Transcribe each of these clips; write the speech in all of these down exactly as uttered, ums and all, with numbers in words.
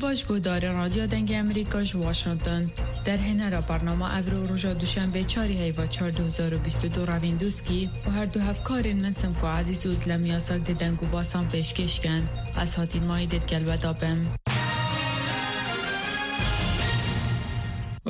Baş guhdarên Radyo Dengê Amerîka ji Washington. Derhênera bernama evro roja Duşenbê çarê heyva çar du hezar û bîst û du revîn dûskî û her du hevkarên min Sinfo Ezîz û Zilem Yasak dê deng û basan pêşkêş kin. Ez Hatîn Mayî dê digel we de bim.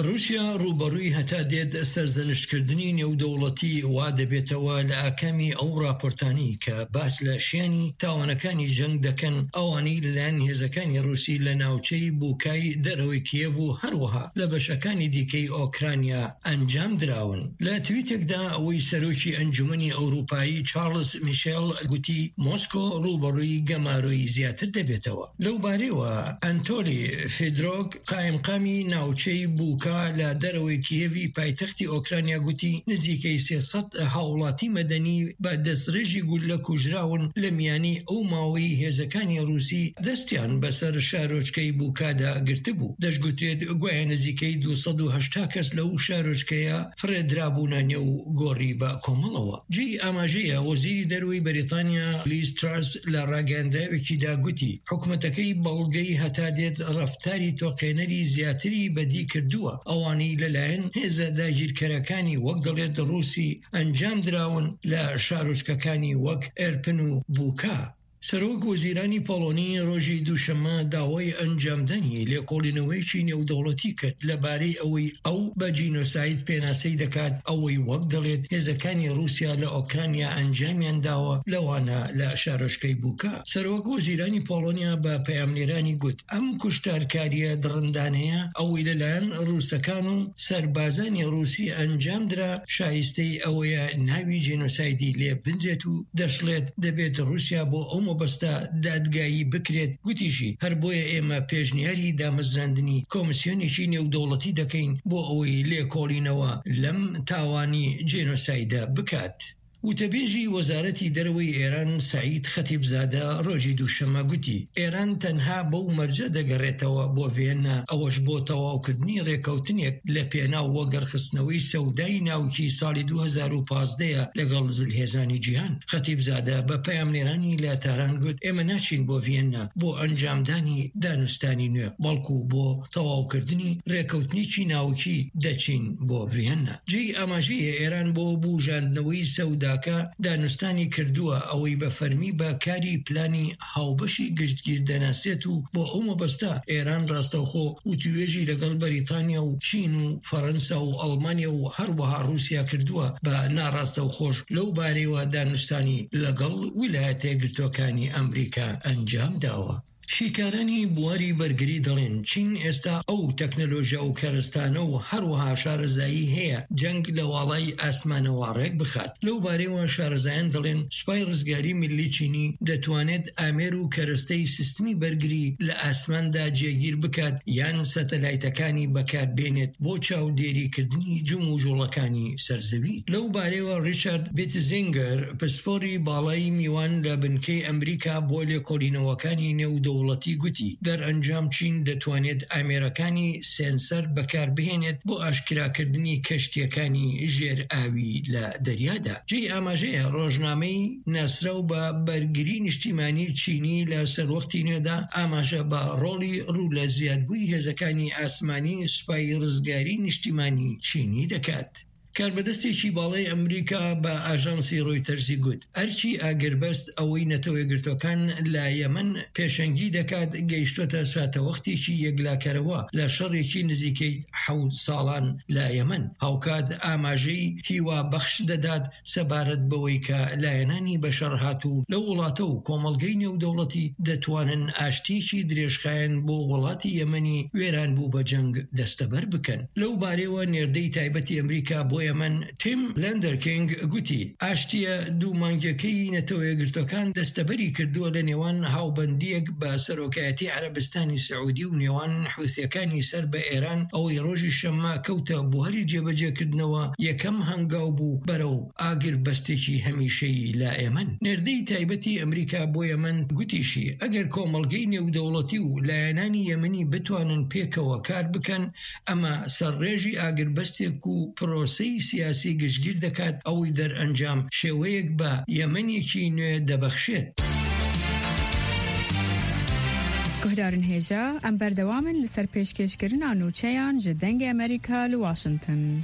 Rûsya rûberûyî heta dêt serzeniştkirdinî nêwdewletî wa dibêtewe li akemî ew raportanî ke bas li şênî tawanekani ceng dekin, ewanî li layen hêzekani Rûsî li navçeyî Bûkay derewê Kîev û her wiha li beşekani dîkeyî Okrayna encam dirawin. Li twîtek de wî serokî Encûmenî Ewropayî Charles Michel gotî, Mosko rûberûyî gemaroyî ziyadtir dibêtewe. Lewbarê we, Anatolî Fedoruk, qayemqamî navçeyî Bûka li derewê Kîevî paytextî Okrayna gotî, nizîkey sê sed hawlatî medenî bi destdirêjî gulle kujrawin, li miyanî ew maweyî hêzekani Rûsî destiyan bi ser şarojkeyî Bûka de girtibû. Deşt gotêt, guya nizîkey du sed û heşta kes li ew şarojkeya firê dirabûne nêw gorî bi komelewa. Cî amajê ye, Wezîrî Derweyî Berîtanya Liz Truss li ragihandinekî de gotî, hikûmeteke wî belgeyî heta dêt reftarî toqênerî ziyadtirî bi dî kirduwe, ewanî li layen hêza dagîrkerekanî wek dewlet Rûsî encam dirawin li şarojkekanî wek Irpin û Bûka. Serok Wezîranî Polonî rojî Duşeme dawayî encamdanî lêkolîneweyekî nêwdewletî kir, li barî ewî ew bi cînosayd pênaseyî dikat, ewî wek dewlet hêzekani Rûsya li Okrayna encamiyan dawe, lewana li şarojkeyî Bûka. Serok Wezîranî Polonya bi peyamnêranî got, em kuştarkariye dirindane ye, ewî li layen Rûsekan û serbazanî Rûsî encam dira, şayisteyî ew ye navî cînosaydî lê binrêt û deşlêt, dibêt Rûsya bo ew mebesta dadgayî bikirêt. Gotî jî, her boye ême pêşniyarî damezrandinî komîsyonekî nêwdewletî dekeyn bo ewî lêkolînewa lem tawanî cînosayde bikat. Witebêjî Wezaretî Derweyî Êran Seîd Xetîbzade rojî Duşeme gotî, Êran tenha bew merce degerêtewe bo Viyena, ew ji bo tewawkirdinî rêkewtinek li pênaw wegerxistinewî sewdayî navkî salî du hezar û pazdeh ye legel zilhêzanî cîhan. Xetîbzade bi peyamnêranî li Tehran got, Ême naçîn bo Viyena bo encamdanî danûstanî nû, belkû bo tewawkirdinî rêkewtinekî navkî deçîn bo Viyena. Cihê amajê ye Êran bo bûjandineweyî sewdake danûstanî kirduwe, ewî bi fermî bi karî planî hawbeşî giştgîr denasêt û bo ew mebesta Êran rastewxo witûwêjî legel Berîtanya û Çîn û Ferensa û Elmanya û her wiha Rûsya kirduwe, bi narastewxo ji lew barê we danûstanî legel Wîlayetê Girtokanî Amerîka encam dawe. Şîkaranî buwarî bergirî dillên Çîn êsta ew teknolojiya û keristane û her wiha şarezayî heye ceng li walay esmanewa rêk bixat. Lew barê we şarezayan dillên Supay Rizgarî Millî Çînî detwanêt amêr û keresteyî sîstemî bergirî li esman de cêgîr bikat yan satelaytekanî bekar bênêt bo çavdêrîkirdinî cim û colekanî ser zewî. Lew barê we Richard Bitzinger, pisporî balayî mîwan li binkey Amerîka bo lêkolînewekanî nêwdewletî gotî, derencam Çîn detwanêt amêrekanî senser bekar bihênêt bo aşkerakirdinî keştiyekanî jêr awî li derya de. Cihê amajê ye rojnameyî Nasrew bi bergirî niştîmanî Çînî li serwextî nû de amaje bi rolî rû li ziyadbûyî hêzekanî asmanî Supay Rizgarî Niştîmanî Çînî diket. Karbedestekî balayî Amerîka bi ajansî Reutersî got, erkî agirbest ewî Netewê Girtokan li Yemen pêşengî dikat, gehiştote sahte wextêkî yeklekerewa li şerekî nizîkey hewt salan li Yemen. Hawkat amajeyî hîwa bexş didat sebaret bi wê ke layenanî bi şer hatû li welate û komelgey nêwdewletî detwanin aştiyekî dirêjxayen bo welatî Yemenî wêran bû bi ceng desteber bikin. Lew barê we nêrdeyî taybetî Amerîka bo Yemen Tim Lenderking gotî, aştiye dû mangekeyî Netewê Girtokan desteberî kirduwe li nêwan hawbendiyek bi serokayetî Erebistanî Siûdî û nêwan Hûsiyekanî ser bi Êran, ewî rojî Şemma kewte buharî cêbecêkirdineva yekem hengaw bû berew agirbestekî hemîşeyî li Yemen. Nêrdeyî taybetî Amerîka bo Yemen gotî jî, eger komelgey nêwdewletî û layenanî Yemenî bitwanin pêkewe kar bikin, ema ser rêjî agirbestek û proseyî siyasî giştgîr diket, ewî derencam şêweyek bi Yemenekî nû dibexşêt. Carin hêja, em berdewam in li ser pêşkêşkirina nûçeyan ji Dengê Amerîka li Washington.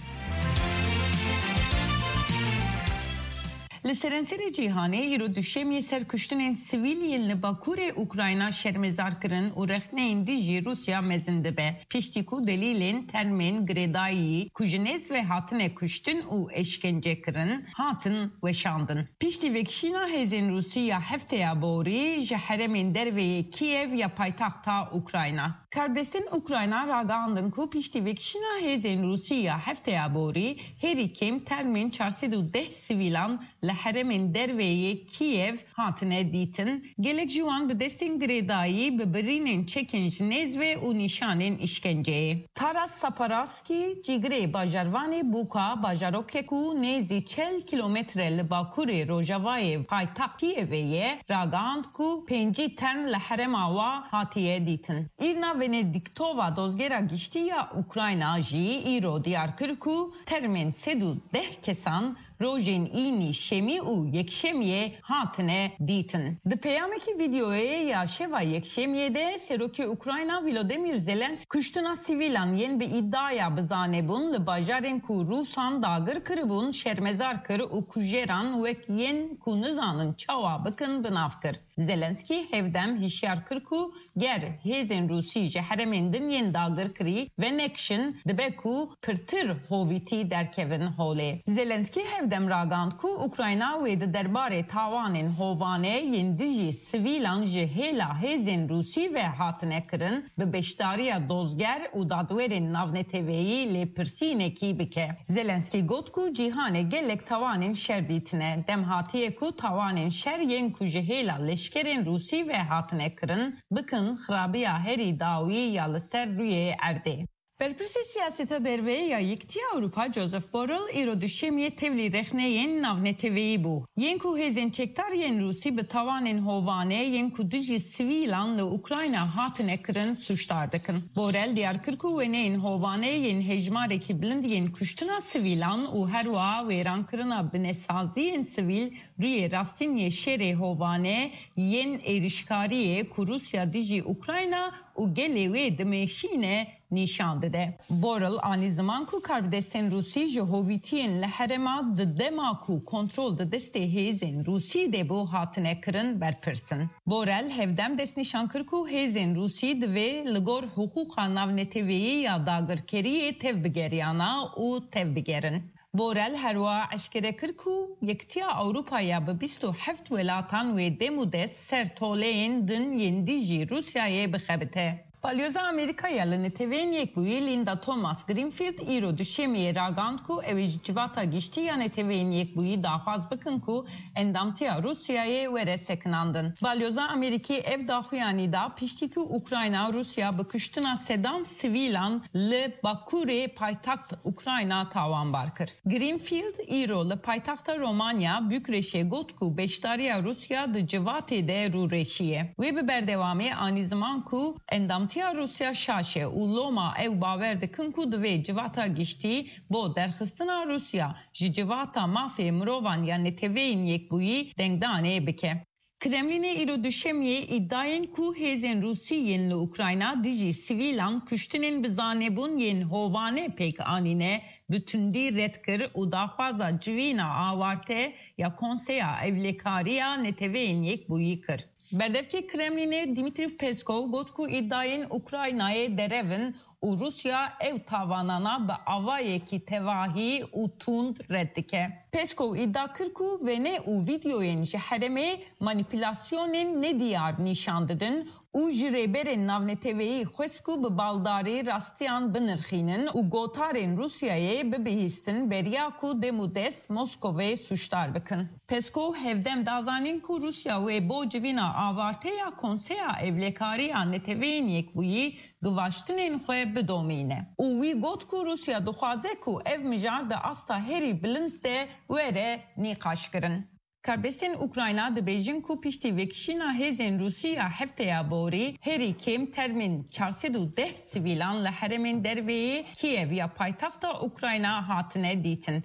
Li serenserê cîhanê îro duşemiyê ser kuştinên sivîl yên li bakurê Ukrayna şermezar kirin û rexneyên dijî Rûsya mezin dibe. Piştî ku delîlên termên girêdayî ku ji nêz ve hatine kuştin û eşkence kirin, hatin weşandin. Piştî vekişîna hêzên Rûsî ya hefteya borî ji herêmên derve yê Kîev ya paytexta Ukrayna. Karbidestên Ukrayna ragihandin ku piştî vekişîna hêzên Rûsî ya hefteya borî herî kêm termên çar sed û deh sivîlan li herêmên derve yê Kîev hatine dîtin, gelek ji wan bi destên girêdayî, bi birînên çekên ji nêz ve û nîşanên îşkenceyê. Taras Saparaskî, cîgirê bajarvanê Bûka, bajarokê ku nêzî çel kîlometre li bakurê rojavayê paytext Kîevê ye, ragihand ku pêncî term li herêma wa hatiye dîtin. Îrna Venediktova, dozgera giştî ya Ukrayna jî îro diyar kir ku termên sed û deh kesan rojên înî şemî û yekşemiyê hatine dîtin. Di peyamekî vîdeoyê ya şeva yekşemiyê de Serokê Ukrayna Volodymyr Zelensk kuştina sivîlan yên bi îdiaya bi zanebûn li bajarên ku Rûsan dagir kiribûn şermezar kir û kujeran wek yên ku nizanin çawa bikin bi nav kir. Zelenskî hevdem hişyar kir ku ger hêzên Rûsî ji herêmên din yên dagirkirî venekişin, dibe ku pirtir hovîtî derkevin holê. Zelenskî hevdem ragihand ku Ukrayna wê di derbarê tawanên hovane yên dijî sivîlan ji hêla hêzên Rûsî ve hatine kirin, bi beşdariya dozger û dadwerên navneteweyî lêpirsînekî bike. Zelenskî got ku cîhanê gelek tawanên şer dîtine. Dem hatiye ku tawanên şer yên ku ji hêla leşkerên Rûsî ve hatine kirin, bikin xirabiya herî dawî ya li ser rûyê erdê. Berpirsê siyaseta derve ya Yekîtiya Ewropa Joseph Borrell îro duşemiyê tevlî rexneyên navneteweyî bû. Yên ku hêzên çekdar yên Rûsî bi tawanên hovane yên ku dijî sivîlan li Ukrayna hatine kirin sûcdar dikin. Borrell diyar kir ku wêneyên hovane yên hejmarekî bilind yên kuştina sivîlan û herwiha wêrankirina binesaziyên sivîl rûyê rastîn yê şerê hovane yên êrişkariyê ku Rûsya dijî Ukrayna û gelê wê dimeşîne nîşan dide. Borrell anî ziman ku karbidestên Rûsî ji hovîtiyên li herêma di dema ku kontrol di destê hêzên Rûsî de bû hatine kirin berpirs in. Borrell hevdem destnîşan kir ku hêzên Rûsî divê li gor hiqûqa navneteweyî ya dagirkeriyê tevbigeriyana û tevbigerin. Borrell herwiha eşkere kir ku Yekîtiya Ewropa ya bi bîst û heft welatan wê dem û dest ser toleyên din yên dijî Rûsyayê bixebite. Balyoza Amerîka ya li Neteweyên Yekbûyî Linda Thomas Greenfield îro duşemiyê ragihand ku ew ê ji Civata Giştî ya Neteweyên Yekbûyî daxwaz bikin ku endamtiya Rûsyayê were sekinandin. Balyoza Amerîkî ev daxuyanî da piştî ku Ukrayna û Rûsya bi kuştina sedan sivîlan li bakurê paytext Ukrayna tawanbar kir. Greenfield îro li paytexta Romanya Bukreşê got ku beşdariya Rûsya di civatê de rûreşiye. Wê bi berdewamî anî ziman ku endamtiya Rûsya şaş e û loma ew bawer dikin ku divê civata giştî bo derxistina Rûsya ji Civata Mafê Mirovan ya Neteweyên Yekbûyî dengdanê bike. Kremlînê îro duşemiyê îdayên ku hêzên Rûsî yên li Ukrayna dijî sivîlan kuştinên bi zanebûn yên hovane pêk anîne, bi tundî red kir û daxwaza civîna awarte ya Konseya Ewlekariya Neteweyên Yekbûyî kir. Berdevkê Kremlînê Dmitry Peskov got ku îdayên Ukraynayê derev in û Rûsya ew tavanana bi avayekî tevahî û tund red dike. Peskov îdia kir ku wêne û vîdeoyên ji herêmê manîpulasyonên nediyar nîşan didin û ji rêberên navneteweyî xwest ku bi baldarî rastiyan binirxînin û gotarên Rûsyayê bibihîstin beriya ku dem û dest Moskovê sûcdar bikin. Peskov hevdem da zanîn ku Rûsya wê bo civîna awarte ya Konseya Ewlekariya Neteweyên Yekbûyî givaştinên xwe bidomîne û wî got ku Rûsya dixwaze ku ev mijar di asta herî bilind de were nîqaşkirin. Karbidestên Ukrayna dibêjin ku piştî vekişîna hêzên Rûsî ya hefteya borî herî kêm termên çar sed û deh sivîlan li herêmên derveyê Kîev ya paytexta Ukrayna hatine dîtin.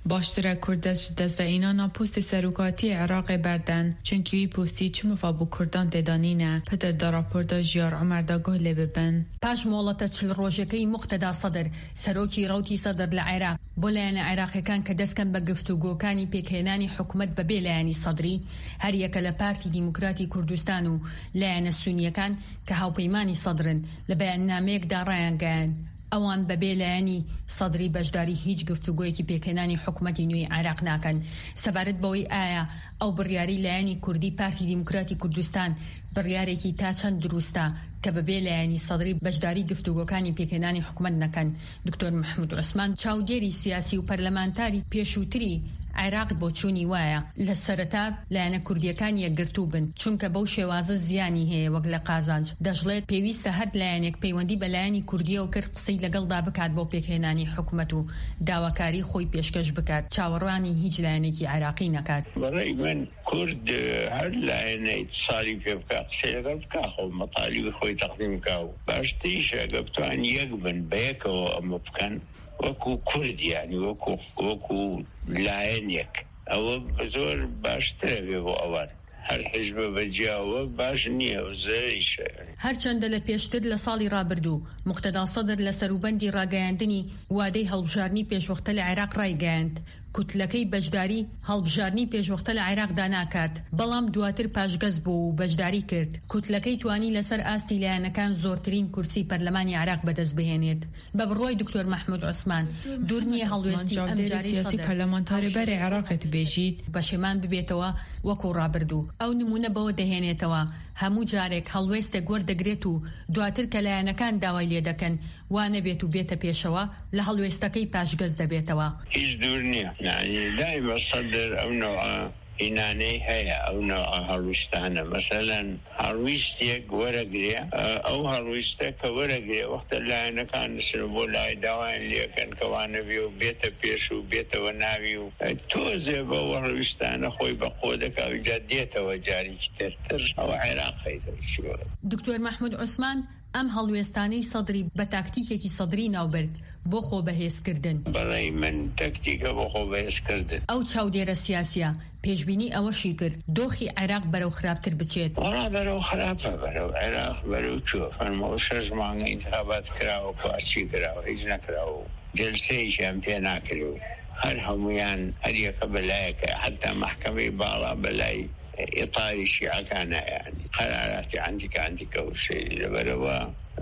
Baştir e Kurd dest ji dest ve înana postê serokatiyê Iraqê berdin, çunkî wî postî çi mifa bo Kurdan tê de nîne, pitir da raporda Jiyar Omer de guh lê bibin. Paş mohleta çil rojekey Muqteda Sedir, serokî rewtî Sedir li Iraq, bo layene Iraqekan ke dest ken be giftûgokani pêkhênanî hikûmet be bê layenî Sedrî, her yeke li Partî Demokratî Kurdistan û layene Sûniyekan ke hawpeymanî Sedr in, li beyannameyek de rayan geyand. Ewan be bê layenî Sedrî beşdarî hîç giftûgoyekî pêkhênanî hikûmetî nû yê Iraq nakin. Sebaret be wî aya ew biryarî layenî Kurdî Partî Demokratî Kurdistan biryarekî ta çend dirûst e ke bi bê layenî Sedrî beşdarî giftûgokanî pêkhênanî hikûmet nekin. Doktor Mehmûd Osman, çavdêrî siyasî û parlamentarî pêşûtirî Iraq boçûnî waya. Li sereta layene Kurdiyekan yekgirtû bin, çunke bew şêwaze ziyanî heye wek li qazanc. Dejlet pêwîst e her layenek peywendî be layenî Kurdiye û Kird qisey legelda bikat bo pêkhênanî hikûmet û dawakarî xwe pêşkeş bikat. Çawerwanî hîç layenekî Iraqî nekat. Berey min Kurd, e, her layenê salî pê bike, qisê legal bike, xwe metalîbê xwe teqdîm bike û baştirîş e, eger bitonin yek bin, bi yekê ew em bikin, wekû Kurd, yanî wekû, wekû layenek. Ew bi zor baştir e bê bo ewan. Her hizbe bi ciya we baş niye, ew zirêrîş e. Her çende li pêştir li salî rabirdû, Muqteda Sedr li serûbendî rageyandinî wadey hilbijarnî pêşwexte li Iraq rayegeyand. Kutlekey beşdarî hilbijarnî pêşwexte li Iraq de nakat, belam duatir paşgez bû û beşdarî kir. Kutlekey twanî li ser astî layenekan zortirîn kursî perlemanî Iraq bi dest bihênêt. Be bi roy Doktor Mehmûd Osman, dûr niye helwestî em carî siyasî parlamentarê berê Iraqê dibêjît. Peşêman bibêtewe wekû rabirdû. Ew nimûne bewe dihênêtewe. Hemû carek helwêstek werdigirêt û duatir ke layenekan daway lê dekin, wa nebêt û bête pêşewa, li helwêstekey paşgez de bêtewa. Hîç dûr niye. Yanî daîma Sedr ew noa înaneyî heye, ew noa helwîstane. Meselen, helwîstiyek weregirê, e, ew helwîste ke weregirê, wexta layenekan disin bo layê dawayên lê kin ke wa nebî û bête pêş û bête we navî û, e, tozê be ew helwîstane xwe bi qodeka wî de dêtewe carîkî tirtir. Ew Iraqê de çi we. Doktor Mehmûd Osman, Em helwêstanî Sedrî bi taktîkekî Sedrî navbird bo xwe bihêzkirdin. Berey min taktîke bo xwe bihêzkirdin. Ew çavdêre siyasî ye. Pêşbînî ew jî kir, doxî Iraq berew xirabtir biçêt. Wala berew xirab e, berew Iraq berew çû. Fermo şeş mange întixabat kirawo, ku çi kirawo, hîç nekirawo. Celseyê jî em pê nakirî. Her hemûyan, her yeke bi layeke, heta mehkemeyê bala bi lay îtarî şîekan e, yanî qeraratî endîke endîke û sêrî li ber we.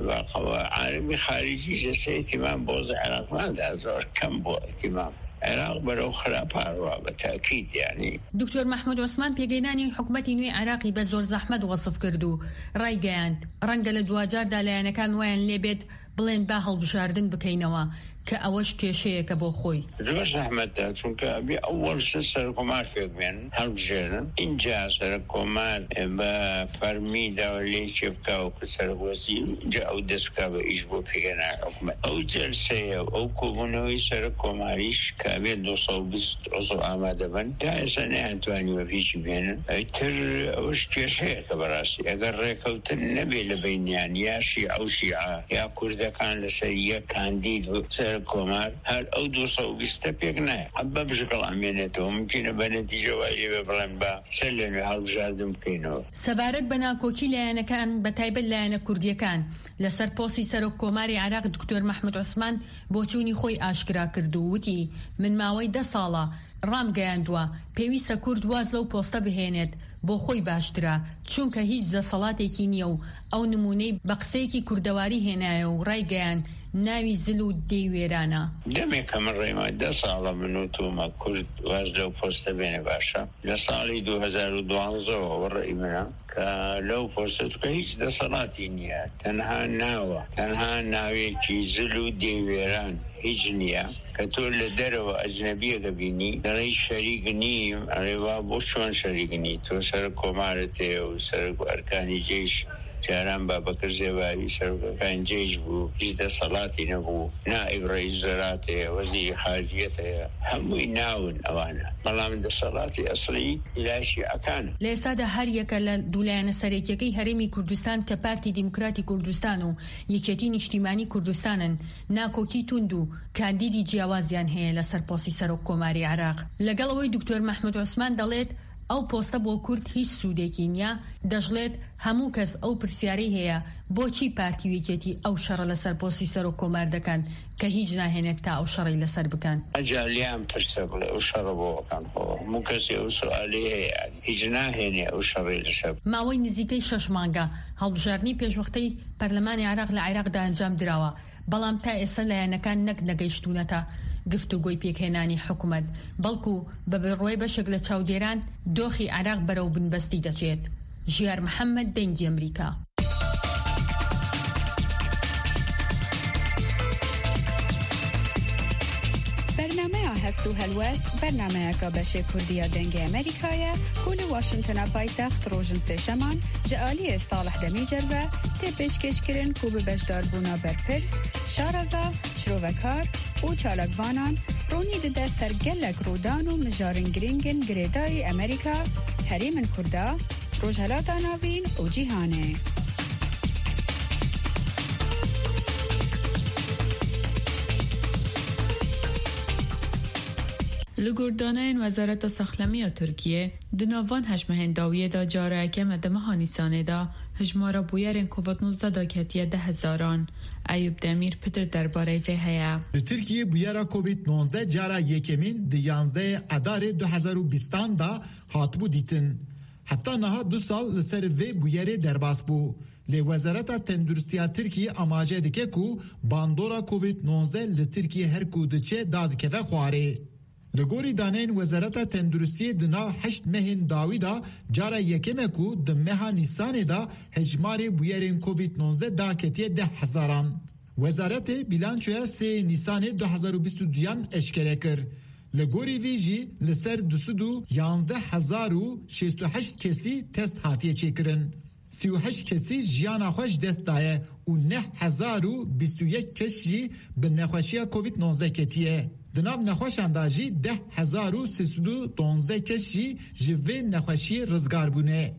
Ve qewa alemî xaricî ji sê îtîmam boz Iraq nade, zor kem bû îtîmam. Iraq berew xirapa rû be tekîd, yanî. Doktor Mehmûd Osman pêgênanî hikûmetî nû yê Iraqî be zor zehmet wesif kir û raygeyan, renge li duwacar de layenekan wayan lê bêt, Bilên be hilbijardin bikeyneva, ke ew ji kêşeyeke bo xwe. Zor zehmet e, çunke ebî ewil ser serokkomar fêk bên, hilbijêrin. Înca serokkomar, e, bi fermî de lê çêbike û ku serokwezîr, înca ew dest bike bi îş bo pêkêna hikûmet. Ew celseye, ew kobûna wî serokkomarîş, ke ebê du sed û bîst uzw amade bin, ta êsa nehatwanî we pêşî bênin. Ê, tir ew ji kêşeyeke bi rastî. Eger rêkewtin nebê li beyniyan ya şîe û şîa, ya kurdekan li ser yek kandîd bi serokkomar, her ew du sed û bîst pêk nayê. Hebe bi şikil amênetê û mimkîn e bi netîce wayî lê be, bilen be ser lê nû hilbijardin bikeynê. Sebaret bi nakokî layenekan, bi taybet layene kurdiyekan, li ser postî serokkomarê Iraq Doktor Mehmûd Osman boçûnî xwe aşkera kir û witî, Min mawey deh sal e, ram geyandiwe, pêwîst e Kurd waz lew poste bihênêt, bo xwe baştir e, çunke hîç deselatêkî niye û ew nimûney bi qiseyekî kurdewarî hênaye û raygeyan, navî zil û dêwêran e. Demê ke min rê ma deh sal e min û tu me Kurd waz lew poste bêne baş e. Li salî du hezar û duwazdeh we rey min e. Ke lew poste, çunke hîç deselatî niye. Tenha nav e. Tenha navekî zil û dêwêran hîç niye. Ke tu li derve ecnebiyeke bînî, derê şerîk nîm, erê va bo çon şerîk nî? Tu serokkomarê tê û serok erkanî ceyş, Caran Babakir Zêbavî serokê P N C'ê jî bû, ji desthilatî nebû. Naîb reîs wezerat heye, wezîrî xariciyet heye. Hemûyî navin ewan e. Bela min desthilatî eslî laya Şîekan e. لە ئێستادا هەر یەکە لە دوو لایەنە سەرەکیەکەی هەرێمی کوردستان کە پارتی دیموکراتی کوردستان و یەکێتی نیشتیمانی کوردستانن، ناکۆکی توند و کاندیدی جیاوازیان هەیە لەسەر پۆستی سەرۆک کۆماری عێراق. لەگەڵ ئەوەی دکتۆر مەحمود عوسمان دەڵێت ئەو پۆستە بۆ کورد هیچ سوودێکی نییە، دەشڵێت هەموو کەس ئەو پرسیارەی هەیە، بۆچی پارتی و یەکێتی ئەو شەڕە لەسەر پۆستی سەرۆک کۆمار دەکەن کە هیچ ناهێنێت تا ئەو شەڕەی لەسەر بکەن؟ ئەجا لیان پرسە بڵێ ئەو شەڕە بۆ ئەکەن؟ خۆ هەموو کەسێ ئەو سوالەی هەیە، یانی هیچ ناهێنێ ئەو شەڕەی لەسەر. ماوەی نزیکەی شەش مانگە هەڵبژاردنی پێشوەختەی پەرلەمانی عێراق لە عێراقدا ئەنجام دراوە، بەڵام تا ئێستا لایەنەکان نەک نەگەیشتوونەتە گفتوگۆی پێکهێنانی حکوومەت، بەڵکو بە بڕوای بەشێک لە چاودێران دۆخی عێراق بەرەو بنبەستی دەچێت. ژیار محەممەد، دەنگی ئەمریکا. بەرنامەیە هەست و هەلوەست، بەرنامەیەکە بەشێ کوردیە دەنگی ئەمریکایە، کو لە واشنتنە پایتەخت ڕۆژن سێشەمان جە ئالیێ ساڵح دەمی جەربە تێ پێشکێشکردن کو بە بەشداربوونا بەرپرس، شارەزا، شرۆڤەکار و چالاکڤانان ڕوونی دەدە سەر گەلەک ڕوودان و مژارن گرنگن گرێدایی ئەمریکا، هەرێمن کوردا، ڕۆژهەلاتا ناڤین و جیهانێ. Li gor daneyên Wezareta Saxlemiya Tirkiyê, di nav van heşt mehên dawiyê de cara yekeme di meha Nîsanê de hijmara bûyerên Covid nozdeh daketiye deh hezaran. Eyûp Demîr pitir derbarê vê heye. Li Tirkiyê bûyera Covid nozdeh cara yekemîn di yanzdehê Edarê du hezar û bîstan de hatibû dîtin. Heta niha du sal li ser vê bûyerê derbas bû. Lê Wezareta Tenduristiya Tirkiyê amaje dike ku bandora Covid nozdeh li Tirkiyê her ku diçe dadikeve xwarê. Li gorî daneyên Wezareta Tenduristiyê di nav heşt mehên dawî de cara yekem e ku di meha Nîsanê de hejmarê bûyerên Covid nozdeh daketiye deh hezaran. Wezaretê bîlançoya sê Nîsanê du hezar û bîst û duyan eşkere kir. Li gorî vî jî li ser du sed û yanzdeh hezar û şêst û heşt kesî test hatiye çêkirin. Sî û heşt kesî jiyana xwe ji dest daye û neh hezar û bîst û yek kes jî bi nexweşiya Covid nozdeh ketiye. Di nav nexweşan de jî deh hezar û sê sed û donzdeh kes jî ji vê nexweşiyê rizgar bûne.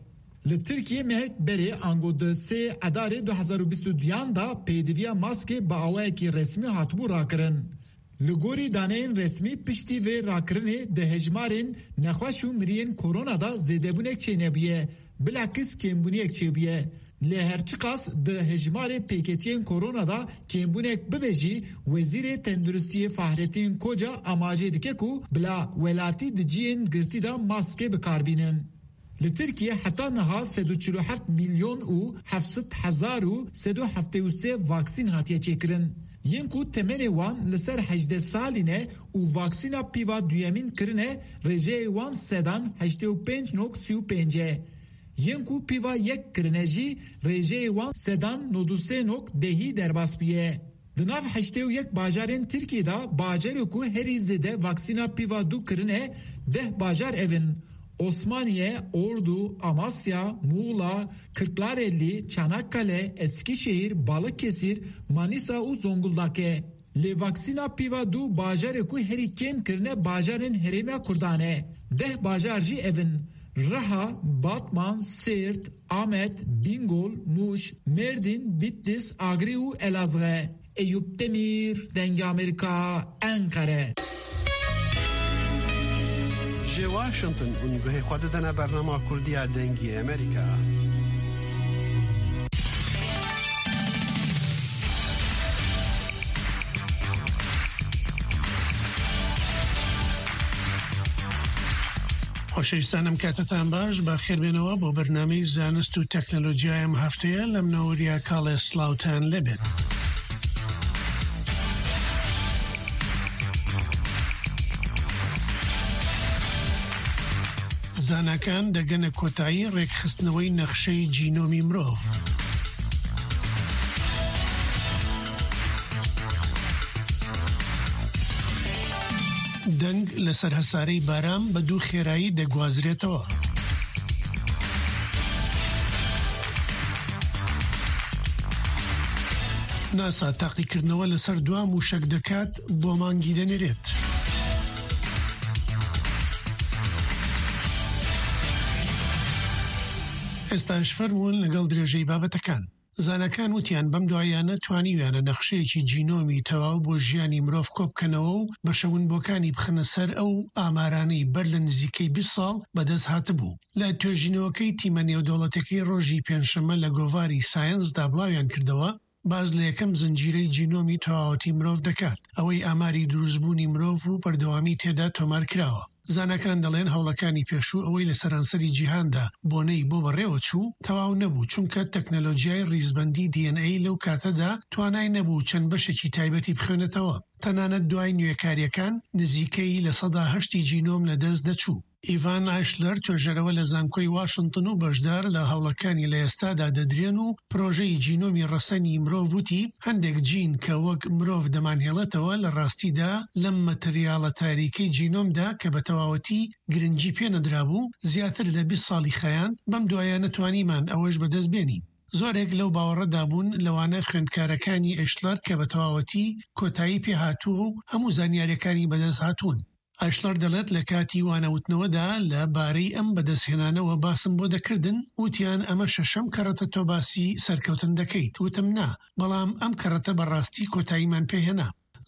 Li Tirkiyê mehek berê ango di sê Edarê du hezar û bîst û duyan de pêdiviya maskê bi awayekî resmî hatibû rakirin. Li gorî daneyên resmî piştî vê rakirinê di hejmarên nexweş û miriyên korona de zêdebûnek çênebûye, bilakis kêmbûniyek çêbûye. Lê her çiqas di hejmarê pêketiyên korona de kêmbûnek bibe jî, Wezîrê Tenduristiyê Fahrettin Koca amajê dike ku bila welatî di cihên girtî de maskê bi kar bînin. Li Tirkiye heta niha sed û çil û heft milyon û heft sed hezar û sed û heftê û sê vaksîn hatiye çêkirin. Yên ku temenê wan li ser hejdeh salî ne û vaksîna pîva duyemîn kirine, rêjeyê wan sedan heştê û pênc nok sî û pênc e. Yên ku pîva yek kirine jî rêjeyê wan sedan nod û sê nok dehî derbas bûye. Di nav heştê û yek bajarên Tirkiyê de bajarê ku herî zêde vaksîna pîva du kirine deh bajar ev in: Osmaniye, Ordu, Amasya, Muğla, Kırklareli, Çanakkale, Eskişehir, Balıkesir, Manisa û Zonguldak e. Lê vaksîna pîva du bajarê ku herî kêm kirine bajarên Herêma Kurdan e. Deh bajar jî ev in: Riha, Batman, Sêrt, Amed, Bîngol, Mûş, Mêrdîn, Bîtlîs, Agrî û Elazığ e. Eyûp Demîr, Dengê Amerîka, Enqere. Ji Washington hûn guhê xwe didine bernama Kurdî ya Dengê Amerîka. خۆشەویستانم، کاتتان باش، بەخێربێنەوە بۆ بەرنامەی زانست و تەکنەلۆجیای ئەم هەفتەیە لەم نەوەریە کاڵێ سڵاوتان لێبێت. زاناکان دەگەنە کۆتایی ڕێکخستنەوەی نەخشەی جینۆمی مرۆڤ. دەنگ لەسەر هەسارەی بارام بە دوو خێرایی دەگوازرێتەوە. ناسا تاقیکردنەوە لەسەر دوا موشەک دەکات، بۆ مانگی دەنێرێت. ئێستاش فەرموون لەگەڵ درێژەی بابەتەکان. زانەکان وتیان بەم دواییانە توانیویانە نەخشەیەکی جینۆمی تەواو بۆ ژیانی مرۆڤ کۆبکەنەوە و بەشە ونبووەکانی بخەنە سەر ئەو ئامارانەی بەر لە نزیکەی بیست ساڵ بەدەست هاتبوو. لە توێژینەوەکەی تیمە نێودەوڵەتەکەی ڕۆژی پێنجشەممە لە گۆڤاری ساینسدا بڵاویان کردەوە، باز لە یەکەم زنجیرەی جینۆمی تەواوەتی مرۆڤ دەکات، ئەوەی ئاماری دروستبوونی مرۆڤ و بەردەوامی تێدا تۆمار کراوە. زانەکان دەڵێن هەوڵەکانی پێشوو ئەوەی لە سەرانسەری جیهاندا بۆنەی بۆ بەڕێوە چوو، تەواو نەبوو، چونکە تەکنەلۆژیای ڕیزبەندی DNA لەو کاتەدا توانای نەبوو چەند بەشێکی تایبەتی بخوێنێتەوە. تەنانەت دوای نوێکاریەکان، نزیکەی لە سەدا هەشتی جینۆم لە دەست دەچوو. ئیڤان ئایشلەر، توێژەرەوە لە زانکۆی واشنگتن و بەشدار لە هەوڵەکانی لە ئێستادا دەدرێن و پرۆژەی جینۆمی ڕەسەنی مرۆڤ، وتی هەندێک جین کە وەک مرۆڤ دەمانهێڵێتەوە، لە ڕاستیدا لەم مەتریاڵە تاریکەی جینۆمدا کە بە تەواوەتی گرنگی پێ نەدرابوو، زیاتر لە بیست ساڵی خایاند، بەم دوایە نەتوانیمان ئەوەش بەدەست بێنین. زۆرێک لەو باوەڕەدا بوون، لەوانە خوێندکارەکانی ئەشلەر کە بە تەواوەتی کۆتایی پێ هاتووە و هەموو زانیاریەکانی بەدەست هاتوون. ئەشلەر دەڵێت لە کاتی وانەوتنەوەدا لە بارەی ئەم بەدەستهێنانەوە باسم بۆ دەکردن، وتیان ئەمە شەشەم کەڕەتە تۆ باسی سەرکەوتن دەکەیت. وتم نا، بەڵام ئەم کەڕەتە بەڕاستی کۆتاییمان پێهێنا.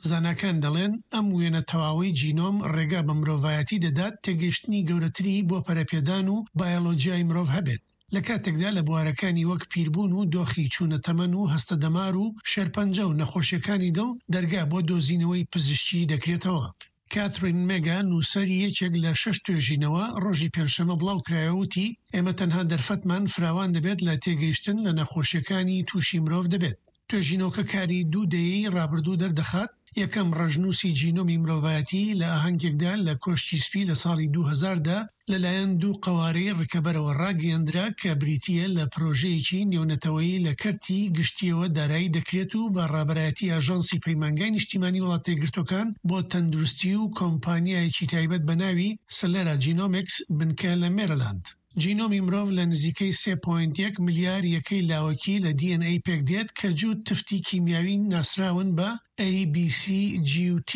زاناکان دەڵێن ئەم وێنە تەواوەی جینۆم ڕێگا بە مرۆڤایەتی دەدات تێگەیشتنی گەورەتری بۆ پەرەپێدان و بایۆلۆجیای مرۆڤ هەبێت، لە کاتێکدا لە بوارەکانی وەک پیربوون و دۆخی چوونە تەمەن و هەستە دەمار و شێرپەنجە و نەخۆشیەکانی دڵ دەرگا بۆ دۆزینەوەی پزیشکی دەکرێتەوە. کاترین مێگا، نووسەری یەکێک لە شەش توێژینەوە، ڕۆژی پێنجشەممە بڵاو کرایەوە، وتی ئێمە تەنها دەرفەتمان فراوان دەبێت لە تێگەیشتن لە نەخۆشیەکانی تووشی مرۆڤ دەبێت. توێژینەوەکە کاری دوو دەیەی ڕابردوو دەردەخات. یەکەم ڕەشنووسی جینۆمی مرۆڤایەتی لە ئاهەنگێکدا لە کۆشکی سپی لە ساڵی دوو هەزار دا لەلایەن دوو قەوارەی ڕکەبەرەوە ڕاگەیەندرا کە بریتییە لە پرۆژەیەکی نێونەتەوەیی لە کەرتی گشتییەوە دارایی دەکرێت و بە ڕابەرایەتی ئاژانسی پەیمانگای نیشتیمانی وڵاتە یەکگرتووەکان بۆ تەندروستی و کۆمپانیایەکی تایبەت بە ناوی سلێرا جینۆمیکس بنکە لە مێرلاند. جینۆمی مرۆڤ لە نزیکەی سێ پۆینت یەک ملیار یەکەی لاوەکی لە DNA پێک دێت کە جووت تفتی کیمیاوی ناسراون بە A B C G T.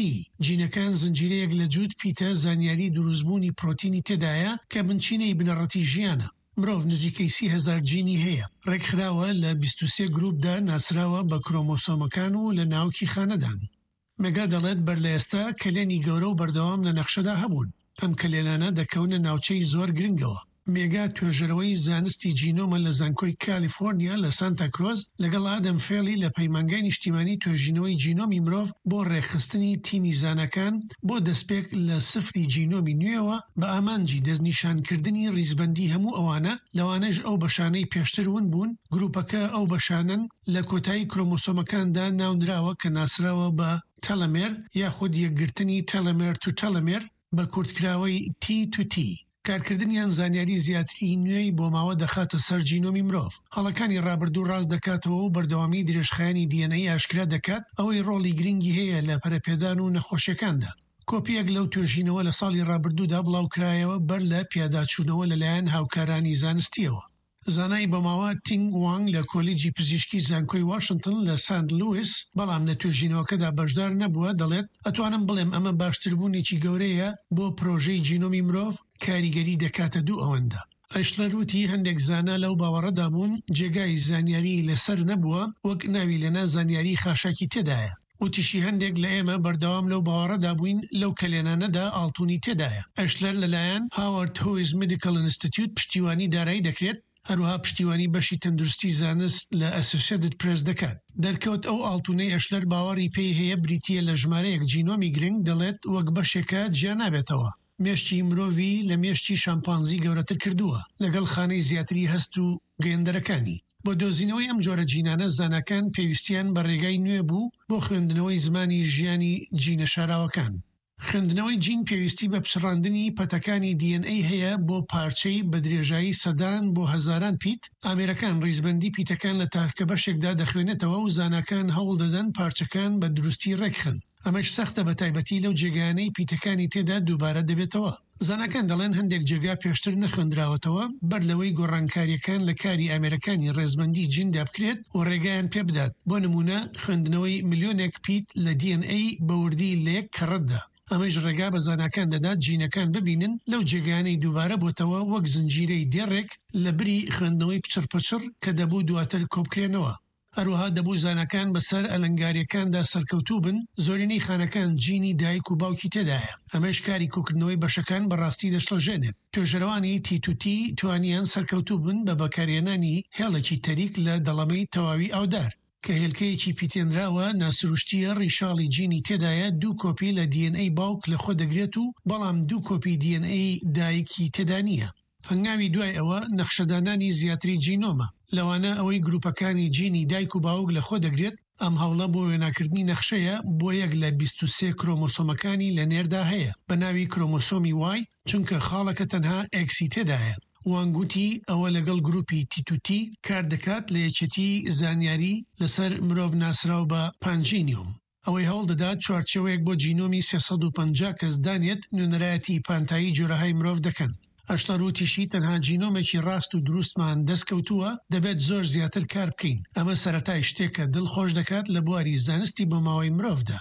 جینەکان زنجیرەیەک لە جووت پیتە زانیاری دروستبوونی پرۆتینی تێدایە کە بنچینەی بنەڕەتی ژیانە. مرۆڤ نزیکەی سی هەزار جینی هەیە. ڕێکخراوە لە بیست و سێ گروپدا ناسراوە بە کرۆمۆسۆمەکان و لە ناوکی خانەدان. مێگا دەڵێت بەر لە ئێستا کەلێنی گەورە و بەردەوام لە نەخشەدا هەبوون. ئەم کەلێنانە دەکەونە ناوچەی زۆر گرنگەوە. مێگا توێژەرەوەی زانستی جینۆمە لە زانکۆی کالیفۆرنیا لە سانتا کرۆز، لەگەڵ ئادەم فێڵی لە پەیمانگای نیشتیمانی توێژینەوەی جینۆمی مرۆڤ بۆ ڕێکخستنی تیمی زانەکان بۆ دەستپێک لە سفری جینۆمی نوێوە بە ئامانجی دەستنیشانکردنی ڕیزبەندی هەموو ئەوانە، لەوانەش ئەو بەشانەی پێشتر ون بوون. گروپەکە ئەو بەشانەن لە کۆتایی کرۆمۆسۆمەکاندا ناونراوە کە ناسراوە بە تەلەمێر یاخود یەکگرتنی تەلەمێر تو تەلەمێر، بە کورتکراوەی T to T. کارکردنیان زانیاری زیاتری نوێی بۆ ماوە دەخاتە سەر جینۆمی مرۆڤ. هەڵەکانی ڕابردوو ڕاست دەکاتەوە و بەردەوامی درێژخایەنی DNA ئاشکرا دەکات، ئەوەی ڕۆڵی گرنگی هەیە لە پەرەپێدان و نەخۆشیەکاندا. کۆپیەک لەو توێژینەوە لە ساڵی ڕابردوودا بڵاوکرایەوە بەر لە پیاداچوونەوە لەلایەن هاوکارانی زانستیەوە. زانای بەماوە تینگ وانگ لە کۆلیجی پزیشکی زانکۆی واشنگتن لە سانت لویس، بەڵام لە توێژینەوەکەدا بەشدار نەبووە، دەڵێت ئەتوانم بڵێم ئەمە باشتربوونێکی گەورەیە بۆ پرۆژەی جینۆمی مرۆڤ، کاریگەری دەکاتە دوو ئەوەندە. ئەشلەر وتی هەندێک زانا لەو باوەڕەدا بوون جێگای زانیاری لەسەر نەبووە، وەک ناوی لێنا زانیاری خاشاکی تێدایە. وتیشی هەندێک لە ئێمە بەردەوام لەو باوەڕەدا بووین لەو کەلێنانەدا ئاڵتونی تێدایە. ئەشلەر لەلایەن Howard Hughes Medical Institute پشتیوانی دارایی دەکرێت، هەروەها پشتیوانی بەشی تەندروستی زانست لە Associated Press دەکات. دەرکەوت ئەو ئاڵتونەی ئەشلەر باوەڕی پێی هەیە بریتییە لە ژمارەیەک جینۆمی گرنگ، دەڵێت وەک بەشێکە جیا نابێتەوە. مێشکی مرۆڤی لە مێشکی شامپانزی گەورەتر کردووە، لەگەڵ خانەی زیاتری هەست و گەیەندەرەکانی. بۆ دۆزینەوەی ئەم جۆرە جینانە زاناکان پێویستیان بە ڕێگای نوێ بوو بۆ خوێندنەوەی زمانی ژیانی جینە شاراوەکان. خوێندنەوەی جین پێویستی بە پچڕاندنی پەتەکانی DNA هەیە بۆ پارچەی بە درێژایی سەدان بۆ هەزاران پیت. ئامێرەکان ڕیزبەندی پیتەکان لە تاکە بەشێکدا دەخوێنێتەوە و زاناکان هەوڵ دەدەن پارچەکان بە دروستی ڕێکخەن. ئەمەش سەختە، بە تایبەتی لەو جێگایانەی پیتەکانی تێدا دووبارە دەبێتەوە. زاناکان دەڵێن هەندێک جێگا پێشتر نەخوێندراوەتەوە، بەر لەوەی گۆڕانکاریەکان لە کاری ئامێرەکانی ڕێزبەندی جیندا بکرێت و ڕێگەیان پێ بدات. بۆ نمونە، خوێندنەوەی ملیۆنێک پیت لە DNA بە وردی لە یەک کەڕەتدا. ئەمەش ڕێگا بە زاناکان دەدات جینەکان ببینن لەو جێگایانەی دووبارە بۆتەوە، وەک زنجیرەی دێڕێک لە بری خوێندنەوەی پچڕپچڕ کە دەبوو دواتر کۆبکرێنەوە. هەروەها دەبوو زاناکان بەسەر ئەلەنگاریەکاندا سەرکەوتوو بن، زۆرینەی خانەکان جینی دایک و باوکی تێدایە. ئەمەش کاری کۆکردنەوەی بەشەکان بەڕاستی دەشڵەژێنێت. توێژەرەوانی تی تو تی توانیان سەرکەوتوو بن بە بەکارهێنانی هێڵێکی تەریک لە دەڵەمەی تەواوی ئاودار، کە هێلکەیەکی پیتێنراوە ناسروشتیە، ڕیشاڵی جینی تێدایە، دوو کۆپی لە DNA باوک لە خۆ دەگرێت و بەڵام دوو کۆپی DNA دایکی تێدا نییە. هەنگاوی دوای ئەوە نەخشەدانانی زیاتری جینۆمە، لەوانە ئەوەی گروپەکانی جینی دایک و باوک لە خۆ دەگرێت. ئەم هەوڵە بۆ وێناکردنی نەخشەیە بۆ یەک لە بیست و سێ کرۆمۆسۆمەکانی لە نێردا هەیە بە ناوی کرۆمۆسۆمی Y، چونکە خاڵەکە تەنها X ی تێدایە. وانگ وتی ئەوە لەگەڵ گروپی تی تو تی کار دەکات لە یەکێتی زانیاری لەسەر مرۆڤ ناسراو بە پانجینیۆم. ئەوەی هەوڵ دەدات چوارچێوەیەک بۆ جینۆمی سێ سەد و پەنجا کەس دانێت، نوێنەرایەتی پانتایی جۆرەهای مرۆڤ دەکەن. ئەشلەر وتیشی تەنها جینۆمێکی ڕاست و دروستمان دەستکەوتووە، دەبێت زۆر زیاتر کار بکەین. ئەمە سەرەتای شتێکە دڵخۆش دەکات لە بواری زانستی بۆماوەی مرۆڤدا.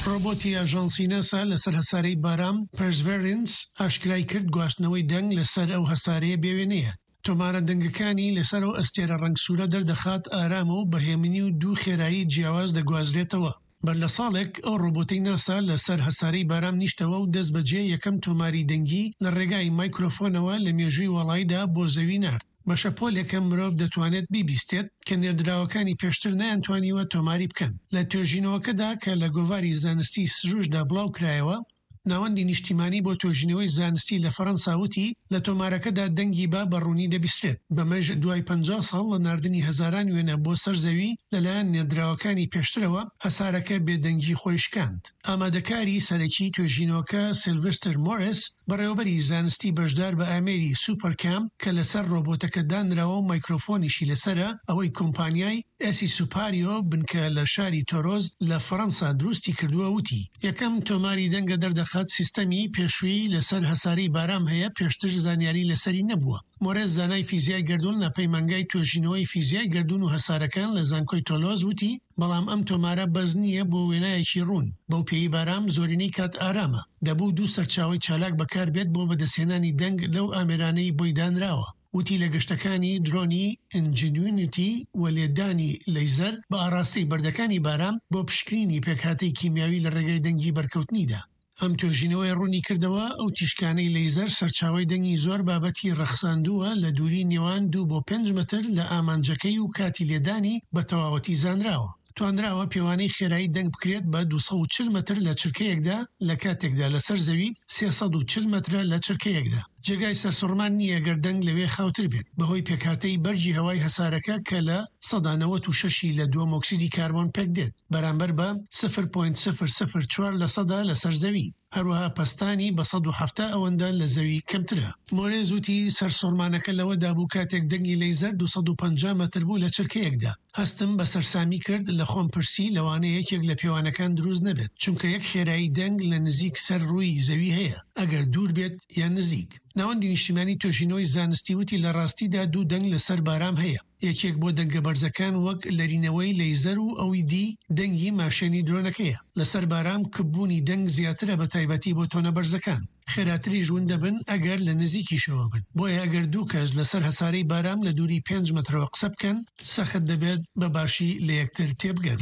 ڕۆبۆتی ئاژانسی ناسا لەسەر هەسارەی بارام Perseverance ئاشکرای کرد گواستنەوەی دەنگ لەسەر ئەو هەسارەیە بێوێنەیە. تۆمارە دەنگەکانی لەسەر ئەو ئەستێرە ڕەنگسوورە دەردەخات ئارامە و بە هێمنی و دوو خێرایی جیاواز دەگوازرێتەوە. بەر لە ساڵێک ئەو ڕۆبۆتەی ناسا لەسەر هەسارەی بارام نیشتەوە و دەست بەجێ یەکەم تۆماری دەنگی لە ڕێگای مایکرۆفۆنەوە لە مێژووی وەڵایدا بۆ زەوی نارد. بە شەپۆلێکە مرۆڤ دەتوانێت بیبیستێت کە نێردراوەکانی پێشتر نەیانتوانیوە تۆماری بکەن. لە توێژینەوەکەدا کە لە گۆڤاری زانستی سروشدا بڵاو کرایەوە، ناوەندی نیشتیمانی بۆ توێژینەوەی زانستی لە فەڕەنسا وتی لە تۆمارەکەدا دەنگی با بە ڕوونی دەبیسترێت. بەمەش دوای پەنجا ساڵ لە ناردنی هەزاران وێنە بۆ سەر زەوی لەلایەن نێردراوەکانی پێشترەوە، هەسارەکە بێدەنگی خۆی شکاند. ئامادەکاری سەرەکی توێژینەوەکە سیلڤستر مۆریس، بەڕێوەبەری زانستی بەشدار بە ئامێری سوپەرکام کە لەسەر ڕۆبۆتەکە دانراوە و مایکرۆفۆنیشی لەسەرە، ئەوەی کۆمپانیای ئێسی سوپاریۆ بنکە لە شاری تۆرۆز لە فەڕەنسا دروستی کردووە وتی یەکەم تۆماری دەنگە دەردەخات سیستەمی پێشووی لەسەر هەسارەی بارام هەیە، پێشتر زانیاری لەسەری نەبووە. مۆرێس زانای فیزیای گەردوون لە پەیمانگای توێژینەوەی فیزیای گەردوون و هەسارەکان لە زانکۆی تۆلۆز وتی بەڵام ئەم تۆمارە بەس نییە بۆ وێنایەکی ڕوون. بەو پێی بارام زۆرینەی کات ئارامە، دەبوو دوو سەرچاوەی چالاک بەکار بێت بۆ بەدەستهێنانی دەنگ لەو ئامێرانەی بۆی دانراوە. وتی لە گەشتەکانی درۆنی ئینجینیونیتی و لێدانی لەیزەر بە ئاراستەی بەردەکانی بارام بۆ پشکنینی پێکهاتەی کیمیاوی لە ڕێگای دەنگی بەرکەوتنیدا. ئەم توێژینەوەی ڕوونی کردەوە ئەو تیشکانەی لەیزەر سەرچاوەی دەنگی زۆر بابەتی ڕەخساندووە لە دووری نێوان دوو بۆ پێنج مەتر لە ئامانجەکەی و کاتی لێدانی بە تەواوەتی زانراوە. توانراوە پێوانەی خێرایی دەنگ بکرێت بە دوو سەد و چل مەتر لە چرکەیەکدا، لە کاتێکدا لەسەر زەوی سێ سەد و چل مەترە لە چرکەیەکدا. جێگای سەرسوڕمان نییە گەر دەنگ لەوێ خاوتر بێت بەهۆی پێکهاتەی بەرگی هەوای هەسارەکە کە لە سەدا نەوەد و شەشی لە دووەم ئۆکسیدی کاربۆن پێک دێت، بەرامبەر بە سفر پۆینت سفر سفر چوار لە سەدا لەسەر زەوی. هەروەها پەستانی بە سەد و حەفتا ئەوەندە لە زەوی کەمترە. مۆرێز وتی سەرسوڕمانەکە لەوەدا بوو کاتێک دەنگی لەیزەر دوو سەد و پەنجا مەتر بوو لە چرکەیەکدا. هەستم بە سەرسامی کرد، لە خۆم پرسی لەوانەیە یەکێک لە پێوانەکان دروست نەبێت، چونکە یەک خێرایی دەنگ لە نزیک سەر ڕووی زەوی هەیە، ئەگەر دوور بێت یان نزیک. ناوەندی نیشتیمانی توێژینەوەی زانستی وتی لە ڕاستیدا دوو دەنگ لەسەر بارام هەیە، یەکێک بۆ دەنگە بەرزەکان وەک لەرینەوەی لەیزەر و ئەوی دی دەنگی ماشێنی درۆنەکەیە. لەسەر بارام کپبوونی دەنگ زیاترە، بە تایبەتی بۆ تۆنە بەرزەکان. خێراتریش ون دەبن ئەگەر لە نزیکیشەوە بن. بۆیە ئەگەر دوو کەس لەسەر هەسارەی بارام لە دووری پێنج مەترەوە قسە بکەن، سەخت دەبێت بە باشی لە یەکتر تێبگەن.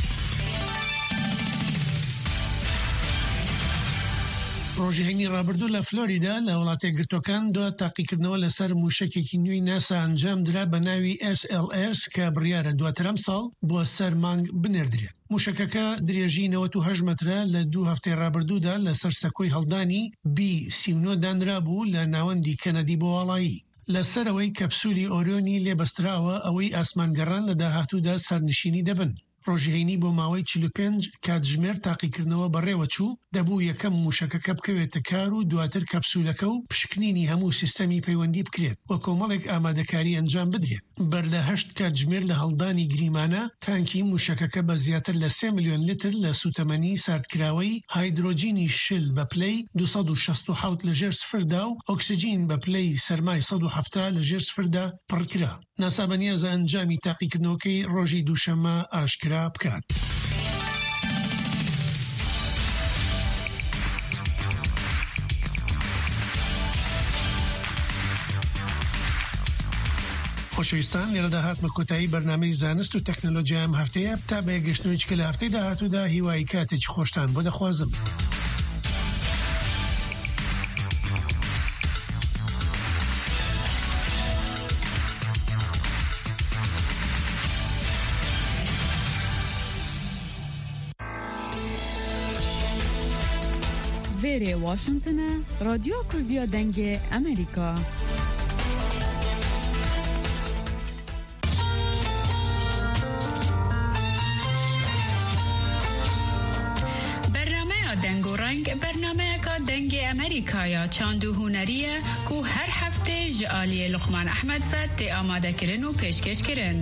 ڕۆژی هەینی ڕابردوو لە فلۆریدا لە وڵاتە گرتوەکان دو تاقیکردنەوە لەسەر موشەکێکی نوێی ناسا ئەنجام درا بە ناوی SLS کە بڕیارە دواتر ئەم ساڵ بۆ سەر مانگ بنێردرێت. موشەکەکە درێژی نەوەد و هەشت مەترە، لە دوو هەفتەی ڕابردوودا لەسەر سەکۆی هەڵدانی B سی و نۆ دانرابوو لە ناوەندی کەنەدی بۆ واڵایی. لەسەرەوەی کەپسولی ئۆریۆنی لێبەستراوە، ئەوەی ئاسمانگەڕان لە داهاتوودا سەرنشینی دەبن. ڕۆژی هەینی بۆ ماوەی چل و پێنج کاتژمێر تاقیکردنەوە بەڕێوە چوو، دەبوو یەکەم موشەکەکە بکەوێتە کار و دواتر کەپسولەکە و پشکنینی هەموو سیستەمی پەیوەندی بکرێت. بۆ کۆمەڵێک ئامادەکاری ئەنجام بدرێت. بەر لە هەشت کاتژمێر لە هەڵدانی گریمانە، تانکی موشەکەکە بە زیاتر لە سێ ملیۆن لیتر لە سوتەمەنی ساردکراوەی هایدرۆجینی شل بە پلەی دوو سەد و شەست و حەوت لە ژێر سفردا و ئۆکسجین بە پلەی سەرمای سەد و حەفتا لە ژێر سفردا پڕکرا. ناسا بە نیازە ئەنجامی تاقیکردنەوەکەی ڕۆژی دووشەممە ئاشکرا بکات. خۆشەویستان، لێرەدا هاتمە کۆتایی بەرنامەی زانست و تەکنەلۆجیا ئەم هەفتەیە. تا بەیەگەشتنەوەی چکە لە هەفتەی داهاتوودا، هیوای کاتێکی خۆشتان بۆ دەخوازم. Vêrê Washington e, Radyo Kurdiya Dengê Amerîka. Bernameya Deng û Reng bernameyeka Dengê Amerîka ya çand û hunerî ye ku her heftê ji aliyê Luqman Ehmed ve tê amadekirin û pêşkêşkirin.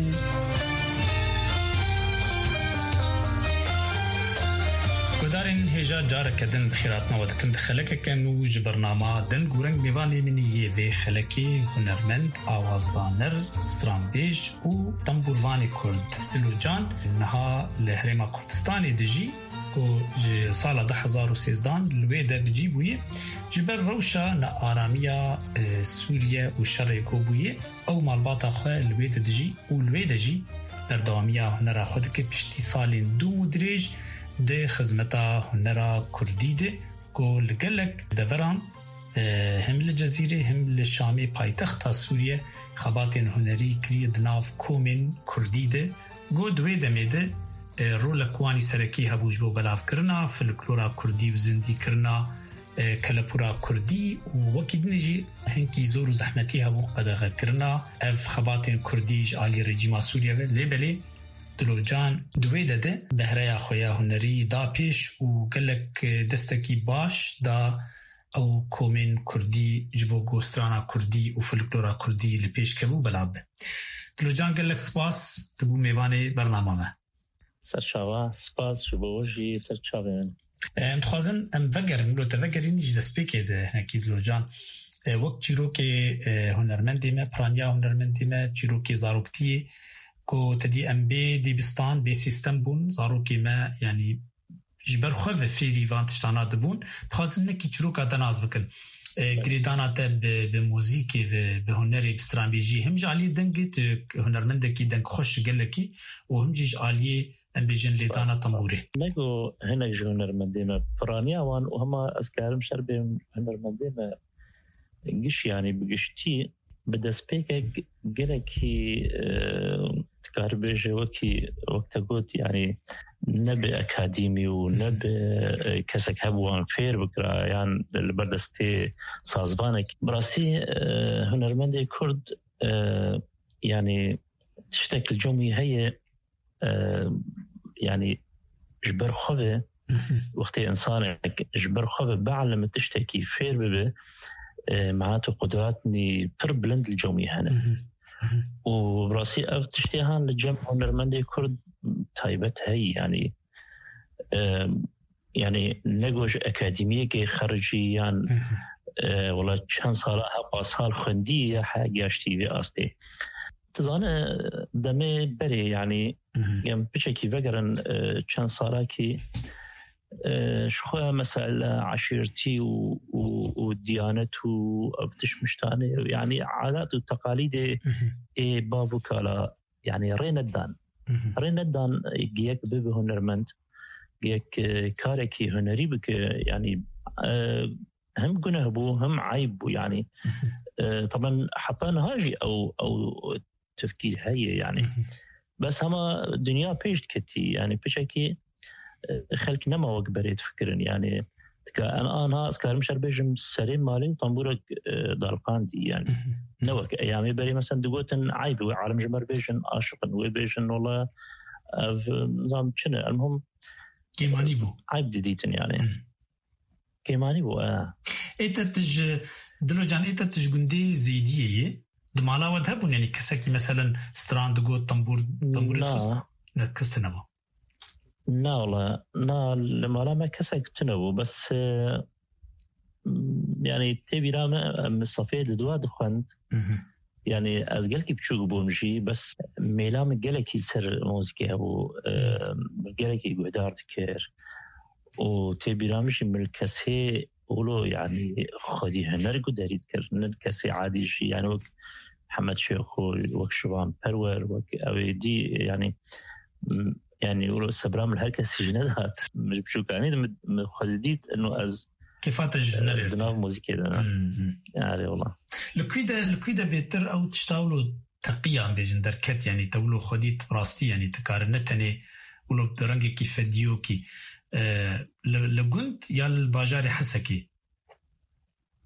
Guhdarên hêja careke din bi xêr hatina we dikim di xelekeke nû ji bernama Deng û Reng. Mêvanê min yê vê xelekê hunermend, awazdaner, stranbêj û tembûrvanê Kurd Dilo Can niha li Herêma Kurdistanê dijî, ku ji sala du hezar û sêzdehan li wê de bi cî bûye. Ji ber rewşa nearamiya, e, Sûriye û şerê ku bûye, ew malbata xwe li wê de dijî û li wê de jî berdewamiya hunera xwe dike. Piştî salên dû û dirêj di xizmeta hunera kurdî de, ku li gelek deveran, e, hem li Cezîrê hem li Şamê, paytexta Sûriye, xebatên hunerî kiriye di nav komên kurdî de. Got, di wê demê de, e, rolek wanî serekî hebû ji bo belavkirina folklora kurdî û zindîkirina, e, kelepûra kurdî û wekî din jî hinkî zor û zehmetî hebû qedexekirina ev xebatên kurdî ji alî rejîma Sûriye ve. Lê belê Dilo Can di wê de de behreya xwe ya hunerî da pêş û gelek, e, destekî baş da ew komên kurdî ji bo gostrana kurdî û folklora kurdî li pêş kevû belav be. Dilo Can, gelek spas, tu bû mêvanê bernama me. Serçava, spas ji bo we jî, ser çavê min. Em dixwazin em vegerin, wilo te vegerîn ji destpêkê de hinekî Dilo Can. E, wek çîrokê, e, hunermendê me, piraniya hunermendê me, çîrokê zaroktiyê, ku te dî em bê dibistan, bê sîstem bûn, zarokê me, yanî ji ber xwe ve fêrî van tiştana dibûn, dixwazin hinekî çîroka te nas bikin. E, girêdana te bi, bi muzîkê ve, bi hunerê, bi stranbêjî, him ji aliyê dengê tu hunermendekî dengxweş ji gelekî û him jî ji aliyê, em bêjin, lêdana tembûrê. Nego hinek ji hunermendê me piraniya wan û hema ez karim şer bêm hunermendê me giş, yanî bi giştî bi destpêkek gelekî, e, dikar bêje wekî, wek te got, yanî ne bi akadîmî û ne bi, e, kesek hebû wan fêr bikira yan li ber destê sazvanek. Bi rastî, e, hunermendê Kurd, e, yanî tiştek li cem wî heye, e, yanî ji ber xwe ve, wextê însanek ji ber xwe ve bielime tiştekî fêr bibe, e, mehat û qudratnî pir bilind li cem wî hene. Û bi rastî ev tiştê han li cem hunermendê Kurd taybet heye, yanî, e, yanî nego ji akademiyekê xerijî yan, e, wela çend sala he pasal xwendî ya he geştî vê astê. Tu zane, demê berê, yanî, em piçekî vegerin, e, çend salakî, e, ji xwe mesele eşîrtî û, û, û diyanet û ev tişt miştanê, yanî adat û teqalîdê ê bav û kala, yanî rê nedan. Rê nedan, e, giyek bibe hunermend, giyek, e, karekî hunerî bike, yanî, e, hem guneh bû, hem eyb bû, yanî. E, taban heta niha jî ew, ew tefkîr heye, yanî. Bes hema dinya pêş diketî, yanî piçekî, e, xelk nema wek berê difikirin, yanî. Tika en anha ez karim şer bêjim serê malê û tambûrek, e, daliqandî, yanî. Ne wek eyamê berê, mesela, digotin eyb, wê alim ji me re bêjin aşiq in, wê bêjin wela ev, nizam çi ne, elmuhim Kêmanî bû. Eyb didîtin yani. Hmm. Kêmanî bû, e. Ê te tu ji, Dilo can, ê te tu ji gundê Zêdiyê yê? Di mala we de hebûn, yani kesekî meselen stran digot, tembûr, tembûrê dixist? Na. Ne, kes tune bû. Na wala, na, li mala me kesek tune bû, bes, e, yani tê bîra me, em Safê di dua dixwend. Mhm. Yani ez gelkî biçûk bûm jî, bes mêla min gelekî li ser muzîkê hebû, e, gelekî guhdar dikir. Û tê bîra min jî min li kesê wilo, yani xwedî huner guderî dikir, ne kesê adî jî, yani wek Hemed Şêxo, wek Şivan Perwer, wek ew ê dî, yani, m-, yani wilo sebra min her kesî jî nedat. Min ji biçûkanî de min, min xwedî dît, ino ez Kêfa te ji hunerê di nav muzîkê de ne. Hmm, hmm. Erê wala. Li ku de, li ku de bêtir ew tişta wilo teqiya, em bêjin, derket, yani te wilo xwedî tu bi rastî, yani tu kare ne tenê wilo bi rengekî fediyokî, e, li, li gund ya li bajarê Hesekê?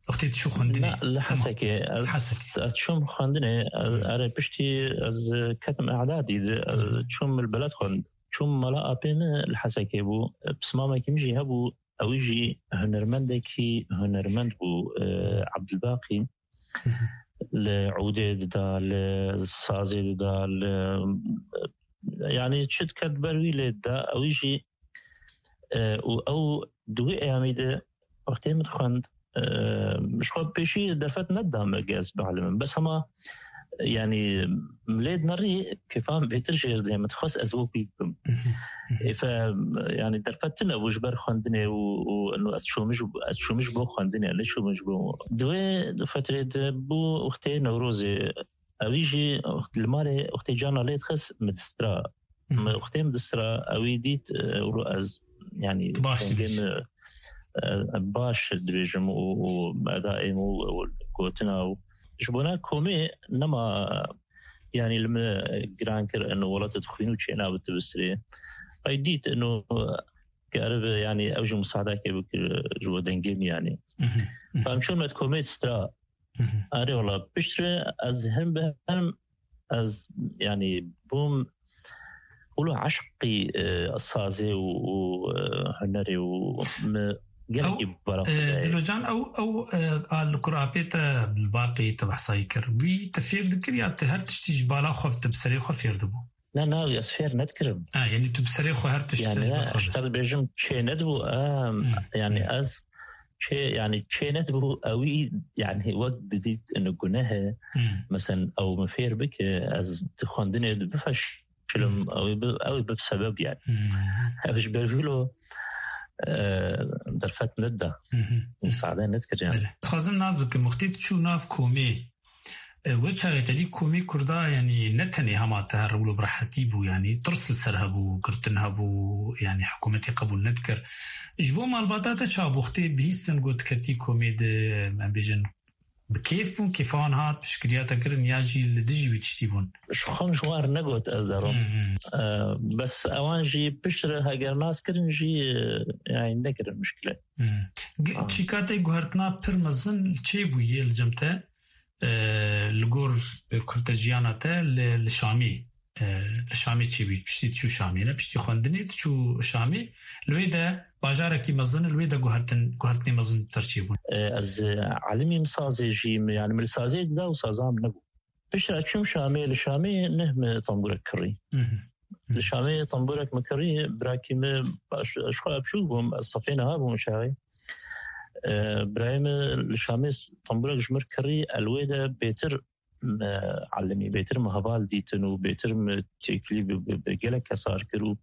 Wextê tu çû xwendinê? Na, li Hesekê. Ez, Hesekê. Ez çûm xwendinê, ez, Hmm. erê piştî ez ketim e'dadî de, ez Hmm. çûm li beled xwend. Çûm mala apê min li Hesekê bû. Pismamekî min jî hebû, ew jî hunermendekî hunermend bû, e, Abdulbaqî. Li ûdê dida, li sazê dida, li, yani çi diket ber wî lê dida, ew jî, e, û ew di wî eyamî de wextê min dixwend, e, ji xwe pêşî derfet nedida me ge ez bielîmim. Bes hema, yani, lê dinerî kêfa min bêtir jêr dê, min dixwest ez wek wî bibim. Êfe, yani, derfet tune bû ji ber xwendinê û, û eno ez çûmij, ez çûmij bo xwendinê, ne çûmij bo. Di wê fetrê de bû wextê Newrozê, ewî jî li malê wextê cana lê dixist, min distira. Mhm. Min wextê min distira, ewî dît, e, û ez, yani, Tu baş dengê dibêjî. min, e, baş dibêjim û, û edayê min û, û gotina û ji bona komê nema, yani, li min giran kir, eno wela tu dixwîn û çênabe tu bistirê. Ay dît, eno, karibe, yani, ew jî musadeke bikir ji bo dengê min, yani. Mhm, mhm. Em çûn me komê distra. Mhm. Erê wala, piştre ez hin bi hin, ez, yani, bûm wilo eşqî, e, sazê û, û, e, hunerê û mi gelekî Ew, bara e, xwe dayê. Dilocan, ew, ew, e, a li kur apê te li baqê te behsayî kir. Wî te fêr dikir ya te her tiştî ji bala xwe te bi serê xwe fêr dibû? Ne, ne, ez fêr nedikirim. Ha, yani tu bi serê xwe her tişt Yani, tecrübe ne, xwe işte dibêjim çê nedibû, em, Hmm, yani hmm. ez çê, yani çê nedibû, ewî, yani wek didît ino guneh e. Hmm. Mesela ew min fêr bike, ez di xwendinê de bifeşilim, Hmm. ew bi, ew bi sebeb yani. Hmm. Ev ji ber vîlo, e, derfet nedida. Hmm. Müsaade nedikir yani. Belê. Dixwazim nas bikim, wextê tu çû nav komê, E, we çaxê te dî komê Kurda, yanî ne tenê hema te her wilo bi rehetî bû, yanî tirs li ser hebû, girtin hebû, yanî hikûmetê qebûl nedikir. Ji bo malbata te çawa bû, wextê bihîstin got diketî komê de, em bêjin, bi kêf bûn, kêfa wan hat, piştgiriya te kirin, ya jî li dijî wî tiştî bûn? Ji xwe min ji wan re negot ez derim. Hmm, hmm. E, bes ewan jî piştre heger nas kirin jî, e, yanî nekirin mişkile. Hmm. Ge-, Ah. Çîka te guhertina pir mezin li çê bûye li cem te? E, li gor, e, kurteciyana te li, li Şamî, e, li Şamê çêbû, piştî diçû Şamê, ne? Piştî xwendinê diçû Şamê, li wê de bajarekî mezin, li wê de guhertin, guhertinê mezin ser çêbûn. E, ez, e, elimî min sazê jî, min, yani min li sazê dida û saza min nebû. Piştre çûm Şamê, li Şamê neh min tembûrek kirî. Mhm. Li Şamê tembûrek min kirî, birakî min, baş, ji xwe biçûk bûm, ez sefê niha bûm şaxê. E, birayê min li Şamê tembûrek ji min kirî, el wê de bêtir me elimî, bêtir me heval dîtin û bêtir me têkilî bi, bi, bi gelek kesar kir û,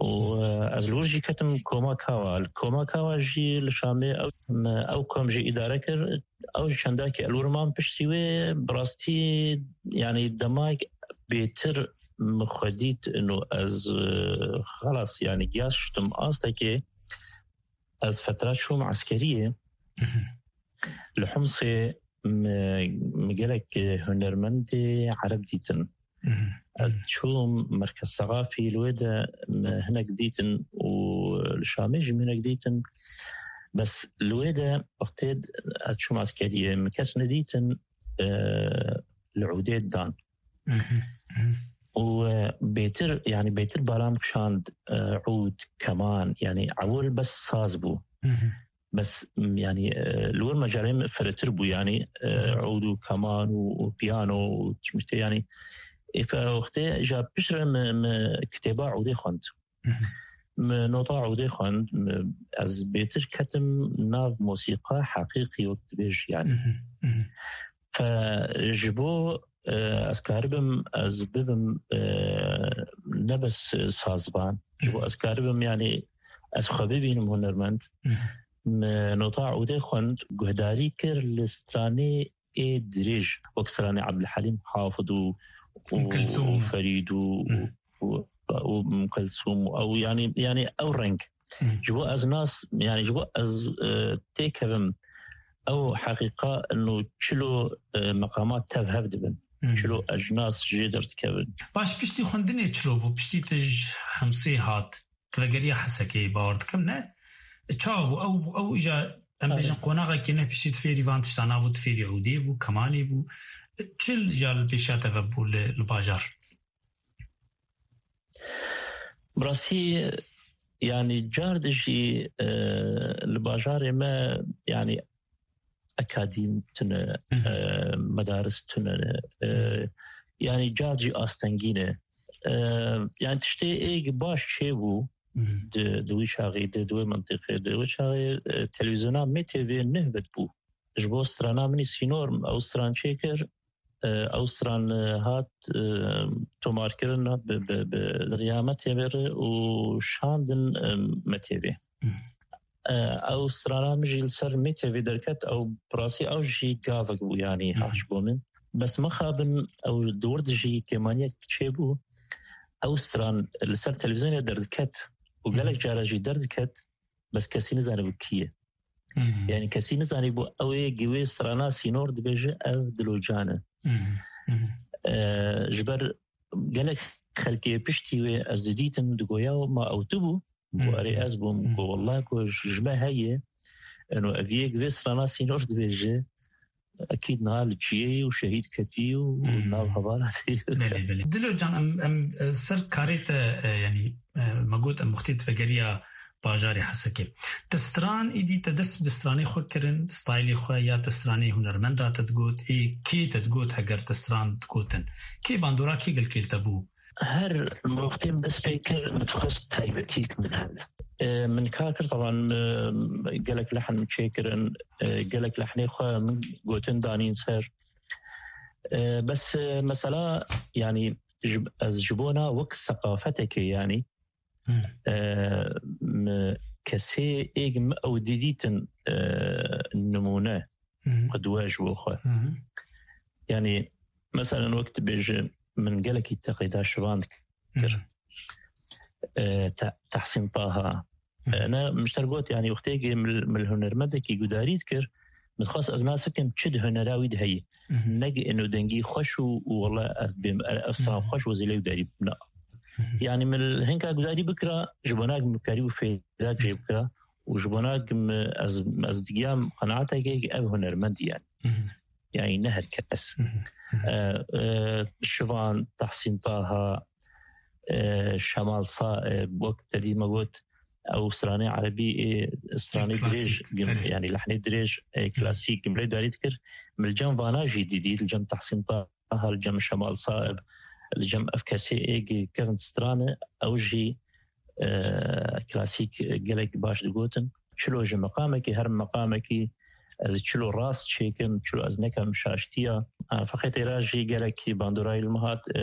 û, e, ez li wir jî ketim koma Kawa. Li koma Kawa jî li Şamê ew, me ew kom jî îdare kir. Ew jî çendakî el wir man piştî wê, bi rastî, yanî dema bêtir min xwe dît ino ez, e, xelas, yanî giya şiştim astekê, ez fetra çûm eskeriyê. Mhm. Li Humsê me, me gelek hunermendê Ereb dîtin. Mhm. Ez çûm Merkez Sexafî, li wê de me hinek dîtin û li Şamê jî me hinek dîtin. Bes li wê de wextê ez çûm eskeriyê, me kes nedîtin, e, li ûdê dan. Mhm, mhm. û, e, bêtir, yanî bêtir balam kişand, e, ûd, keman, yanî ewil bes saz bû. Bes, m, yanî, e, li wir mecarê min firehtir bû, yanî, e, ûd û keman û, û piyano û çimîtê, yanî, ê, fe-, wextê ja piştre min, min kitêba ûdê xwend. Min nota ûdê xwend, min, ez bêtir ketim nav mosîqa heqîqî wek dibêj, yanî. Fe ji bo, e, ez karibim, ez bibim, e, ne bes sazban. Ji bo ez karibim, yanî ez xwe bibînim hunermend. Min nota ûdê xwend, guhdarî kir li stranê ê dirêj, wek stranê Ebdulhelîm Hafid û, û, Ûm Kulthûm. û Ferîd û, û, û, û Ûm Kulthûm û ew, yanî, yanî ew reng. Ji bo ez nas, yanî ji bo ez, e, têkevim ew heqîqa ino çilo, e, meqamat tev hev dibin. Çilo ecnas jê derdikevin. Baş, piştî xwendinê çilo bû, piştî tu ji Hemsê hat, tu vegeriya Hesekê, bawer dikim, ne? Çawa bû? Ew, ew îja, em bêjin, qonaxekê ne, piştî tu fêrî van tişta nabû, tu fêrî ûdê bû, kemanê bû. Çi îja li pêşiya te ve bû li, li bajar? Bi rastî, yanî car di jî, e, li bajarê me, yanî ekadîm tune, e, medaris tune, e, yanî car jî astengî ne. E, yanî tiştê êk baş çêbû di, di wî çaxî, di, di wê mentiqê, di wê çaxê, e, televîzyona M T V neh vedbû. Ji bo strana min î sînor, ew stran çêkir, e, ew stran, e, hat, e, tomarkirin, hat bi, bi, bi, li riya M T V re û şandin, e, M T V. E, ew strana min jî li ser M T V derket, ew bi rastî ew jî gavek bû, yanî hah ji bo min. Bes mixabin ew di wir de jî kêmaniyek çêbû, ew stran li ser televîzyonê derdiket û gelek cara jî derdiket, bes kesî nizanibû kî ye. Yanî kesî nizanîbû ew ê gi wê strana sînor dibêje ev Dilo Can e. E, ji ber gelek xelkê piştî wê ez didîtim, digoya ma ew tu bû? Got, erê, ez bûm. Got, wallah, got, ji me heye. Eno, ev yek vê strana sînor dibêje. Ekîd niha li çiyê ye û şehîd ketî û, û nav hevala tê. Belê, belê. Dilo Can, em, em, e, ser karê te, e, yanî, e, me got em wextê tu vegeriya bajarê Hesekê. Te stran, îdî te dest bi stranê xwe kirin, staylê xwe, ya te stranê hunermenda te digot, ê kê te digot heger te stran digotin? Kê bandora kê gelkê li te bû? Her wextê min dest pê kir, min dixwest taybetiyek min hebe. E, min kar kir, taban, e, gelek lehn min çêkirin, e, gelek lehnê xwe min gotin danîn ser. E, bes, e, mesela, yanî, ji, ez ji bona wek seqafetekê, yanî, e, mi kesê êk mi ew didîtin, e, nimûne, qudwe ji bo xwe. Yanî, meselen, wek dibêje, min gelekî teqîda şivan dikir. E, Te-, Tehsîn Taha. E, ne, min ji te got, yanî, wextê ki min, min hunermendekî gudarî dikir, min dixwest ez nas bikim çi di hunera wî de heye. Neg êno dengî xweş û, û wele ez bêm, e, ev stran xweş wezîlê gudarî bûna. Yanî min hinka gudarî bikira, ji bona min karî û fêdak jê bikira û ji bona min ez, ez digiyam qenaetekê ki ev hunermend ye. Yanî ne her kes. E, e, Şivan, Tahsîn Taha, e, Şemal Saib, wek te dî me got, ew stranê erebî, ê, stranê dirêj, yanî lehnê dirêj, ê, klasîk, gimrê darî dikir. Min li cem vana jî didî, li cem Tahsîn Taha, li cem Şemal Saib, li cem ev kesê ê gi kevin strane, ew jî, e, klasîk, e, gelek baş digotin. Çilo ji meqamekî, her meqamekî, ez çilo rast çêkim, çilo ez nekem şaştiya. E, feqê têra jî gelekî bandorayî li min hat, e,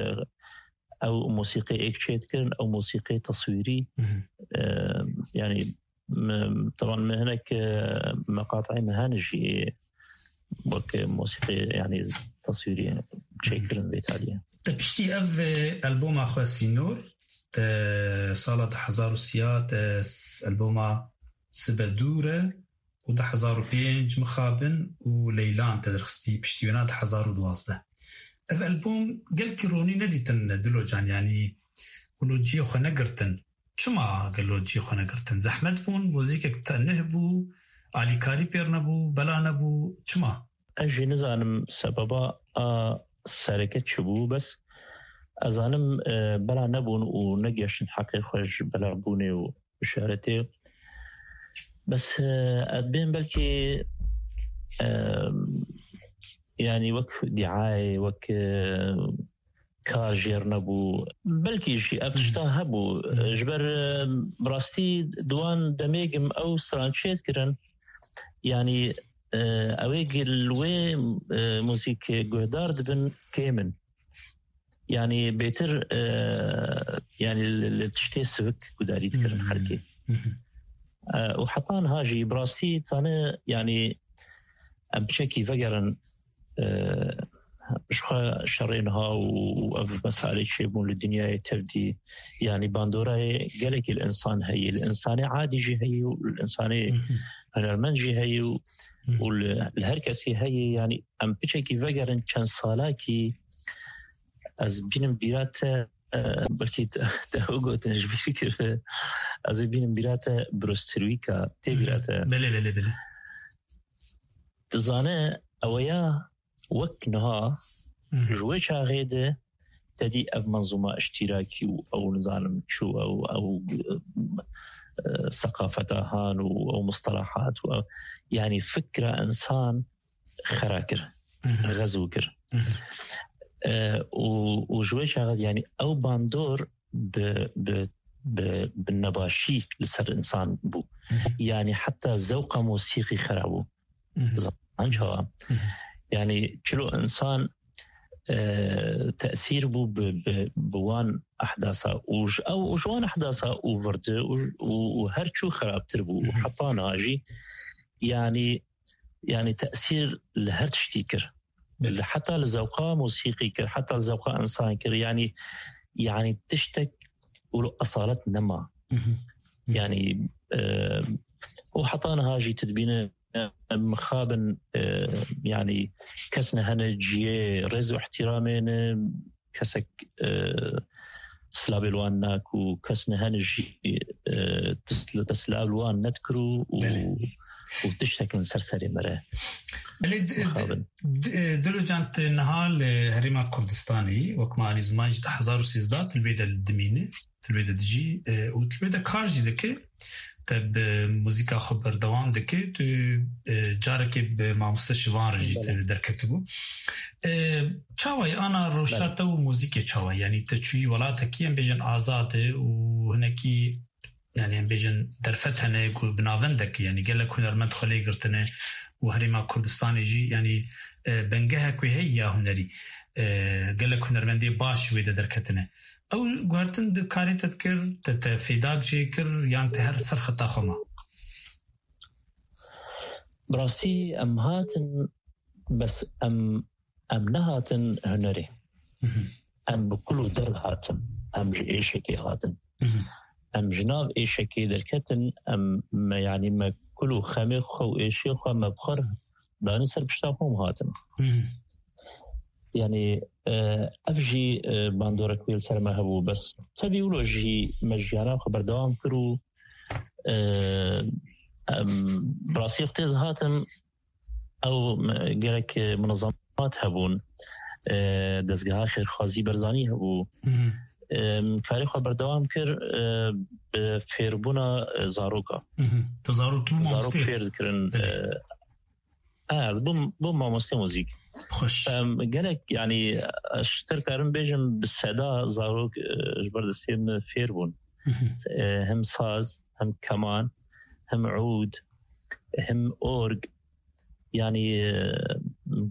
ew mosîqê êk çêdikirin, ew mosîqê teswîrî, e, yanî, me, taban me hinek, e, meqateyê me hene jî wek mosîqê, yanî teswîrî çêkirin vê taliyê. Te piştî ev, e, alboma xwe Sînor, te sala du hezar û sî te s-, alboma Sibe Dûr e û du hezar û pênc Mixabin û Leylan te derxistî, piştî wêna du hezar û duwazdeh. Ev albom gelkî ronî nedîtin Dilo Can, yanî gelo cihê xwe negirtin. Çima gelo cihê xwe negirtin? Zehmet bûn, muzîkek te nuh bû, alîkarî pêr nebû, bela nebû, çima? Ez jî nizanim sebeba a sereke çi bû, bes Ez zanim, e, bela nebûn û negeştin heqê xwe ji bela bûnê û bişaretê. Bes, e, ez dibêm belkî, e, yanî wek dîayê, wek, e, kar jêr nebû. Belkî jî ev tişta hebû. Ji ber, e, bi rastî di wan demê gim ew strançê dikirin. Yanî, e, ew ê gil wê, e, muzîk guhdar dibin kêm in. Yanî bêtir, e, yanî li, li tiştê sivik gudarî dikirin xelkê. E, û heta niha jî bi rastî dizane, yanî em piçekî vegerin, e, ji xwe şerê niha û, û ev meselê çêbûn li dinyayê tevdî, yanî bandorayê gelekî li însan heye, li însanê adî jî heye û li însanê hunermend jî heye û, û li, li her kesî heye, yanî em piçekî vegerin çend salakî, ez bînim bîra te, e, belkî te, te ew gotin ji bîr kir, ez ê bînim bîra te Bruce Terwîka, tê bîra te. Belê, belê, belê. Dizane, ew ya wek niha, ji wê çaxê de te dî ev menzûma îştîrakî û ew nizanim çû, ew, ew, e, seqafeta han û ew mustalahat û ew, yanî fikra însan xera kir, xezû kir. E, û, û ji wê çaxê, yanî ew bandor bi, bi, bi, bi nebaşî li ser însan bû. Yanî heta zewqa mosîqî xera bû. Zanî çawa? Yanî çilo însan, e, tesîr bû bi, bi, bi wan ehdasa û ji ew, û ji wan ehdasa û virdi û, û, û her çû xerabtir bû. Û heta niha jî, yanî, yanî tesîr li her tiştî kir. Belê. Li heta li zewqa mosîqî kir, heta li zewqa însan kir. Yanî, yanî tiştek wilo esalet nema. Yanî, e, û heta niha jî tu dibîne, e, mixabin, e, yanî kes nehene ciyê rêz û ihtiramê ne, kesek, e, silavê li wan nak û kes nehene jî, e, tis-, li te silav li wan nedikir û, û, Belê. û tiştek li ser serê me re. Belê, di-, di-, Mixabin. di-, e, Dilo Can, tu niha li Herêma Kurdistanê, wek me anî ziman jî, di hezar û sêzdeh tu li wê de dimîne, tu li wê de dijî, e, û tu li wê de kar jî dike. Te bi muzîka xwe berdewam dike, tu, e, carekê bi mamoste Şivan re jî Belê. te derketibû. E, çawa ye ana rewşa Belê. te û muzîkê çawa ye? Yanî te çûyî welatekî, em bêjin, azad e û hinekî, yanî em bêjin, derfet hene ku bi navendek, yanî gelek hunermend xwe lê girtine û Herêma Kurdistanê jî, yanî, e, bingehek wê heye ya hunerî. E, gelek hunermendê baş wê de derketine. Ew guhertin di karê te dikir, te, te fêdak jê kir, yan te her ser xeta xwe ma? Bi rastî em hatin, bes em, em nehatin hunerê. Em bi kul û derv hatin, em ji êşekê hatin. Em ji nav êşekê derketin, em, me, yanî me kul û xemê xwe û êşê xwe me bi xwe re danî ser pişta xwe û hatin. Yanî, e, ev jî, e, bandorek wê li ser me hebû. Bes tevî wilo jî me jiyana xwe berdewam kir û, e, em, bi rastî wextê ez hatim, ew, e, gerek, e, munezemat hebûn, e, dezgeha xêrxwazî Berzanî hebû. Em, karê xwe berdewam kir, e, bi fêrbûna, e, zaroka. Tu zarok, tu Zarok mamostê. fêr dikirin, Belê. e, Ha, ez bûm, bûm mamoste muzîk. Xweş. Em, gelek, yanî, ez ji te karim bêjim, bi seda zarok, e, ji ber destê min fêr bûn. E, hem saz, hem keman, hem ûd, hem org, yanî, e,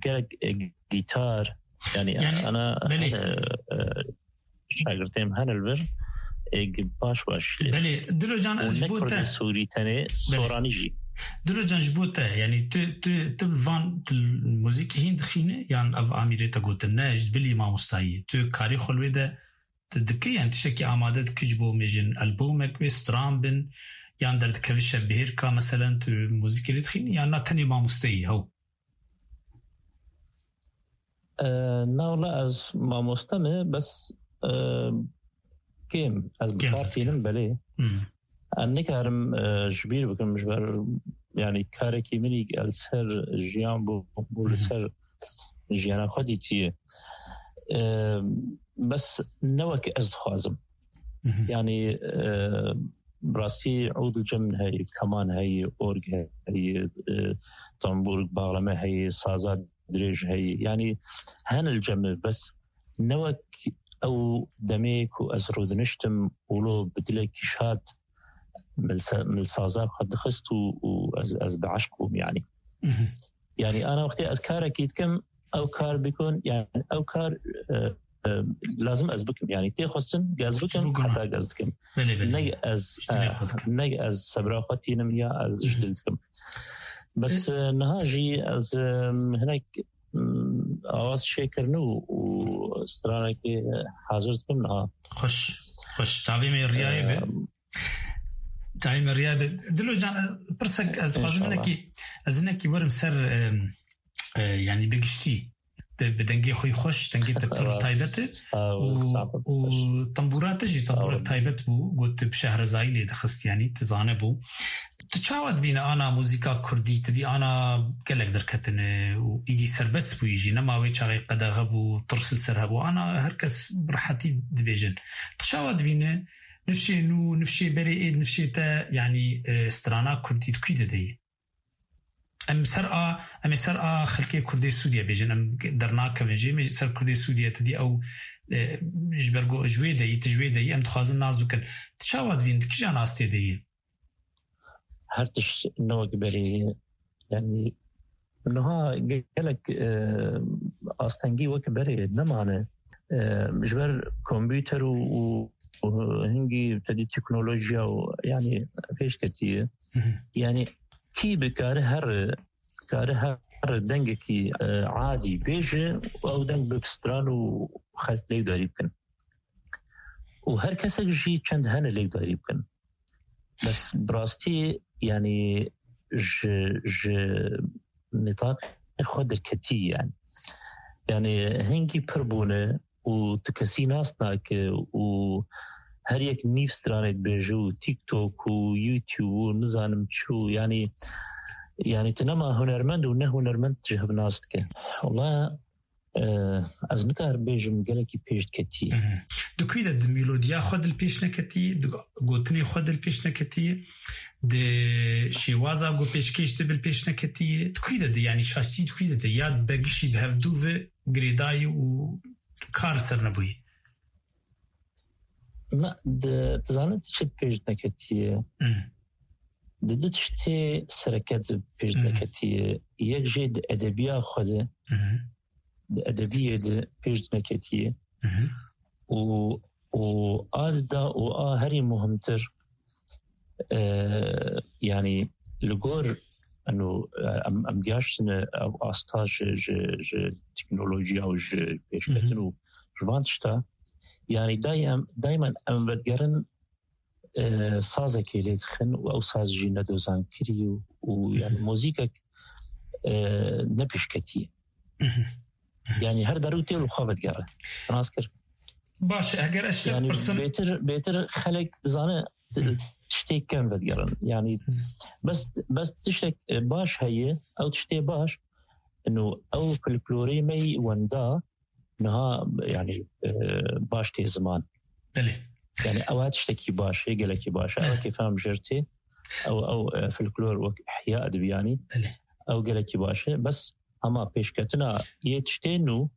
gelek, e, gîtar, yanî, Yanî, ana, belê. e, e, şagirtê min hene li vir, êg baş baş lê. Belê, Dilo Can, Û ez ji ne bo te. Kurdê Sûrî tenê, Belê. Soranî jî. Dilo Can, ji bo te, yanî tu, tu, tu van, tu muzîkê hîn dixîne, yan ev amîrê te gotin, ne, ji bilî mamostayî. Tu karê xwe li wê de tu dikî, yan tiştekî amade dikî ji bo mêjin, albomek wê, stran bin, yan derdikevî şevbihêrka, meselen, tu muzîkê lê dixînî, yan na tenê mamosteyî, hew? E, na wala ez mamoste me, bes, e, kêm, ez bi Kêm kar tînim, belê. Hmm. Ez nikarim, e, ji bîr bikim, ji ber, yanî, karekî min î li ser jiyan bû, bû li Mhm. ser jiyana xwe dîtiye. E, bes ne wek ez dixwazim. Mhm. Yani, e, bi rastî ûd li cem heye, keman heye, org heye, e, tambûr, baxlame heye, saza dirêj heye. Yani hene li cem, bes ne wek ew demê ku ez rûdiniştim û lo bi dilekî şad milsa-, milsaza xwe dixist û, û ez, ez bi eşq bûm yani. Mhm. Yani ana wextê ez karekî dikim, ew kar bikun, yani ew kar, e, e, lazim ez bikim. Yani tê xwestin, gez bikim, heta gez dikim. Belê, belê. Neg ez, Ji dilê xwe dikim. Neg ez sebra xwe tînim ya ez ji dil dikim. Bes, e, e, niha jî ez, e, hinek, m, awaz çêkirine û, û stranekê hazir dikim niha. Xweş, xweş. Çavê me riyayê be. E, Çavê me riya be. Dilo can, e, pirsek ez dixwazim hinekî, ez hinekî werim ser, e, e, yani bi giştî. Te bi dengê xwe xweş, dengê te pir taybet e. Sağ ol, û, sağ ol. Û tembûra te jî tembûrek taybet bû, got tu bi şehrezayî lê dixist, yanî tu zane bû. Tu çawa dibîne ana muzîka kurdî, tu dî ana gelek derketine û îdî serbest bûyî jî, nema wê çaxê qedexe bû, tirs li ser hebû, ana her kes bi rehetî dibêjin. Tu çawa dibîne nifşê nû, nifşê berê ê, nifşê te, yanî, e, strana kurdî di kû de deyê? Em ser a, em ê ser a xelkê Kurdê Sûdiye bêjin, em dernakevin jê, em ê ser Kurdê Sûdiye, tu dî ew, e, ji ber ku ji wê de yî, tu ji wê de yî, em dixwazin nas bikin. Tu çawa dibîn, di kîjan astê de yî? Her tişt ne wek berê ye. Yani niha gelek, e, astengî wek berê nemane. E, ji ber kompûter û, û, û hingî tedî teknolojiya û yani pêş ketiye. Hı hı. Yani kî bikare her, kare her dengekî, e, adî bêje û ew deng bi stran û xelk lêkdarî bikin. Û her kesek jî çend hene lêkdarî bikin. Bes bi rastî, yani ji, ji nîtaqê xwe derketî yani. Yani hingî pir bûne û tu kesî nas nake û her yek nîv stranê dibêje û TikTok û YouTube û nizanim çi û yani, yani tu nema hunermend û ne hunermend ji hev nas dike. Wala, e, ez nikarim bêjim gelekî pêş diketî. Mhm. Di kû de di melodiya xwe dil pêş neketî, di gotinê xwe dil pêş neketî, di şêwaza ku pêşkêş dibin pêş neketî, di kû de di, yani şaştî di kû de di, ya begişî bi hevdû ve girêdayî û kar ser nebûyî. Na, di, tu zanî tu çi pêş neketiye? Hmm. Di du tiştê sereke di pêş Hmm. neketiye. Yek jê di edebiya xwe de, Hmm. di edebiyê de pêş neketiye. Hmm. Û, û a dida û a herî muhimtir, e, yani li gor, eno, e, em, em gihaştine ev asta ji, ji, ji teknolojiya û ji pêşketin Mhm. û ji van tişta, yani daim, daimen em vedigerin, e, sazekê lê dixin û ew saz jî ne dozankirî û, û yani Mhm. muzîkek, e, ne pêşketî. Mhm. Mhm. Yani her derû tê li xwe vedigere. Nas kir. Baş, eger ez te Yani pirsim bêtir, bêtir xelek dizane Hı. tiştê kem vedigerin. Yani Hı. bes, bes tiştek, e, baş heye, ew tiştê baş, ino ew folklorê me yî wenda, niha, yani, e, baş tê ziman. Belê. Yani ew her tiştekî baş, hê gelekî baş. Ew Belê. kêfa em jêr tê, ew, ew, e, folklor wek ihya dibiyanî. Belê. Ew gelekî baş e. Bes hema pêşketina yê tiştê nû,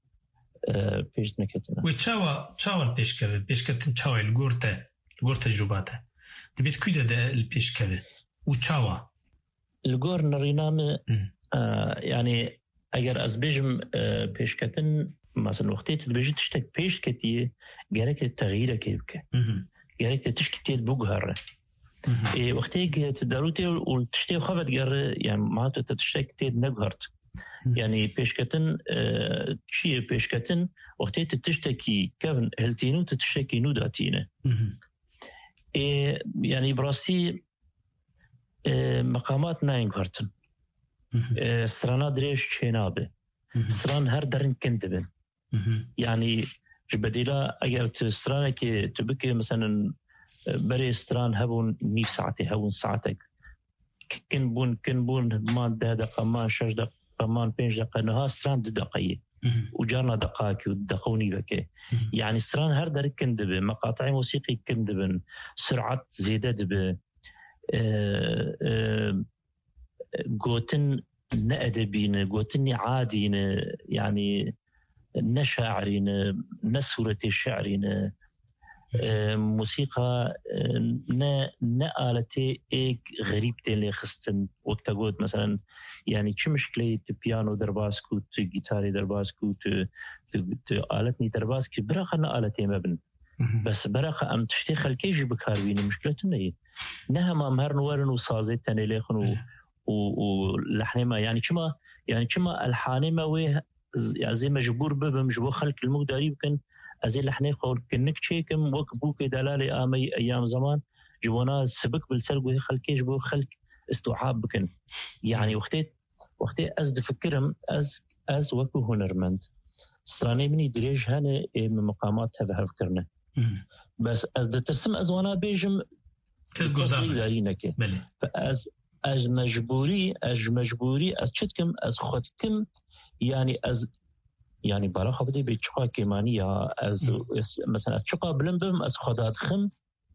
e, pêş neketine. Wê çawa, çawa li pêş keve? Pêşketin çawa ye li gor te, li gor tecrûba te? Dibê di kû de de li pêş keve? Û çawa? Li gor nerîna min, Hı. e, yani eger ez bêjim, e, pêşketin, mesela wextê tu dibêjî tiştek pêş ketiye, gerek te texyîrekê bike. Hı hı. Gerek te tişkî tê biguhere. Hı hı. Ê, wextê ku tu derû tê û tiştê xwe vedigere, yani ma tu te tiştek tê neguhert. Hı hı. Yani pêşketin, e, çi ye pêşketin? Wextê tu tiştekî kevn hiltînî û tu tiştekî nû datîne. Hı hı. Ê, yani bi rastî, e, meqamat nayên guhertin. Hı hı. E, strana dirêj çênabe. Hı hı. Stran her derin kin dibin. Hı hı. Yani ji bedîla eger tu stranekê tu bikê, meselen, e, berê stran hebûn nîv saetê, hebûn saetek. Kin bûn, kin bûn, man deh deqa, man şeş deqa, man pênc deqa, niha stran du deqa ye. Mhm. û carna deqakî û deqa û nîvekê. Mhm. Yanî stran her der kin dibe, meqateyê musîqî kin dibin, sirat zêde dibe. E, e, gotin ne edebî ne, gotinî adî ne, yanî ne şairî ne, ne sûretê şiirî ne. E, musîqa, e, ne, ne aletê êk xerîb tên lê xistin. Wek te got, meselen, yanî çi mişkileyê tu piyano derbas kû, tu gîtarê derbas kû, tu, tu, tu aletnî derbas kî, biraqa ne aletê me bin. Mhm. Bes biraqa em tiştê xelkê jî bi kar bînin, mişkile tune ye. Ne hema em herin werin û sazê tenê lêxin û, Belê. û, û lehnê me, yanî çima, yanî çima elhanê me wê z-, ya zê mecbûr bibim ji bo xelk li min guhdarî bikin, ez ê lehnê xwe kinik çêkim, wek bûkê delalê ameyî eyyam zeman, ji bona sibik bi li ser guhê xelkê ji bo xelk istuab bikin. Yanî wextê, wextê ez difikirim, ez, ez wekî hunermend, stranê min î dirêj hene ê min miqamat tev hev kirine. Hmm. Bes ez ditirsim ez wana bêjim, Kes kes guhdar nake. Guhdarî neke. Belê. Ez, ez mecbûrî, ez ji mecbûrî, ez çi dikim, ez xwe dikim, yanî ez, yanî bala xwe bidê bê çiqa kêmanî ya, ez, Hmm. ez, mesela ez çiqa bilind bim, ez xwe dadixim,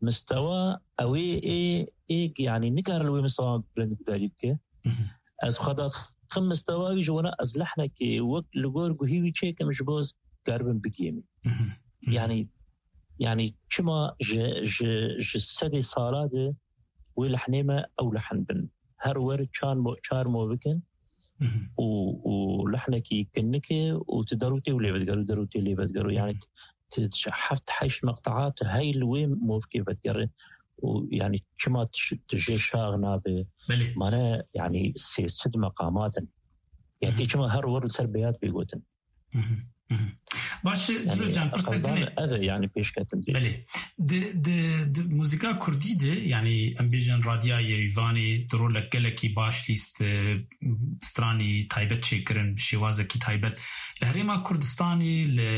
mistewa ew ê, ê, ê, yanî nikare li wê mistewa bilind guhdarî bike. Mhm. Ez xwe dadixim mistewa wî ji wana ez lehnekê wek li gor guhî wî çêkim ji bo ez karibim bigihînim. Mhm. Mhm. Yanî, yanî çima ji, ji, ji sedê sala de wê lehnê me ew lehn bin. Her wer çar mo-, çar mo bikin Mhm. û, û lehnekî kinike û tu derûtê û lê vedigero, derûtê lê vedigero. Yanî Mhm. tu, tu heft heşt meqtea tu hey li wê movkê vedigere û yanî çima tu, tu jê şax nabe? Belê. Mane yanî sê sed meqamat in. Ya tê Mhm. çima her wer li ser beyat bê gotin? Mhm, mhm. Baş e, Dilo can, pirse qezdan dinê. Ev e, yanî pêşketin dê. Belê. Di, di, di muzîka kurdî de, yanî em bêjin Radiya Yerîvanê di rolek gelekî baş lîst, e, stranî taybet çêkirin, bi şêwazekî taybet. Li Herêma Kurdistanê, li,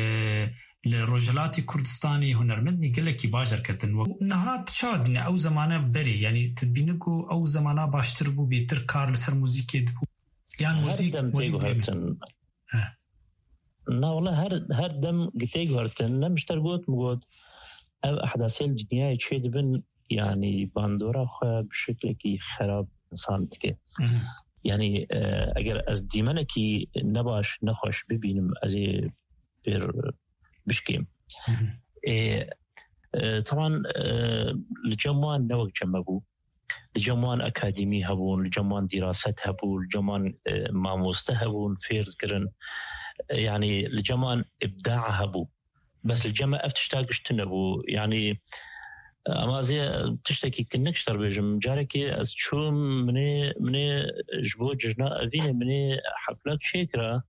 li Rojhilatê Kurdistanê hunermendî gelekî baş derketin. Niha tu çawa dibîne ew zemane berê? Yanî tu dibîne ku ew zemana baştir bû, bêtir kar li ser muzîkê dibû? Yan Her muzîk, dem muzîk tê bêne? Guhertin. He. Na wala her, her dem gitê guhertin. Ne mişter got, mi got, ev ehdasê li dinyayê çê dibin, yanî bandora xwe bi şeklekî xerab insan dike. Mhm. Yanî, e, eger ez dîmenekî nebaş, nexweş bibînim, ez ê pêr bişkêm. Mhm. Ê, e, teban, e, li cem wan ne wek cem me bû. Li cem wan akademî hebûn, li cem wan dîraset hebû, li cem wan, e, mamoste hebûn, fêr dikirin. E, yanî li cem wan îbdaa hebû. Bes li cem me ev tişta giş tune bû. Yanî, e, ama ez ê tiştekî kinik ji te re bêjim. Carekê ez çûm, minê, minê ji bo cejna evînê minê heflek çêkira.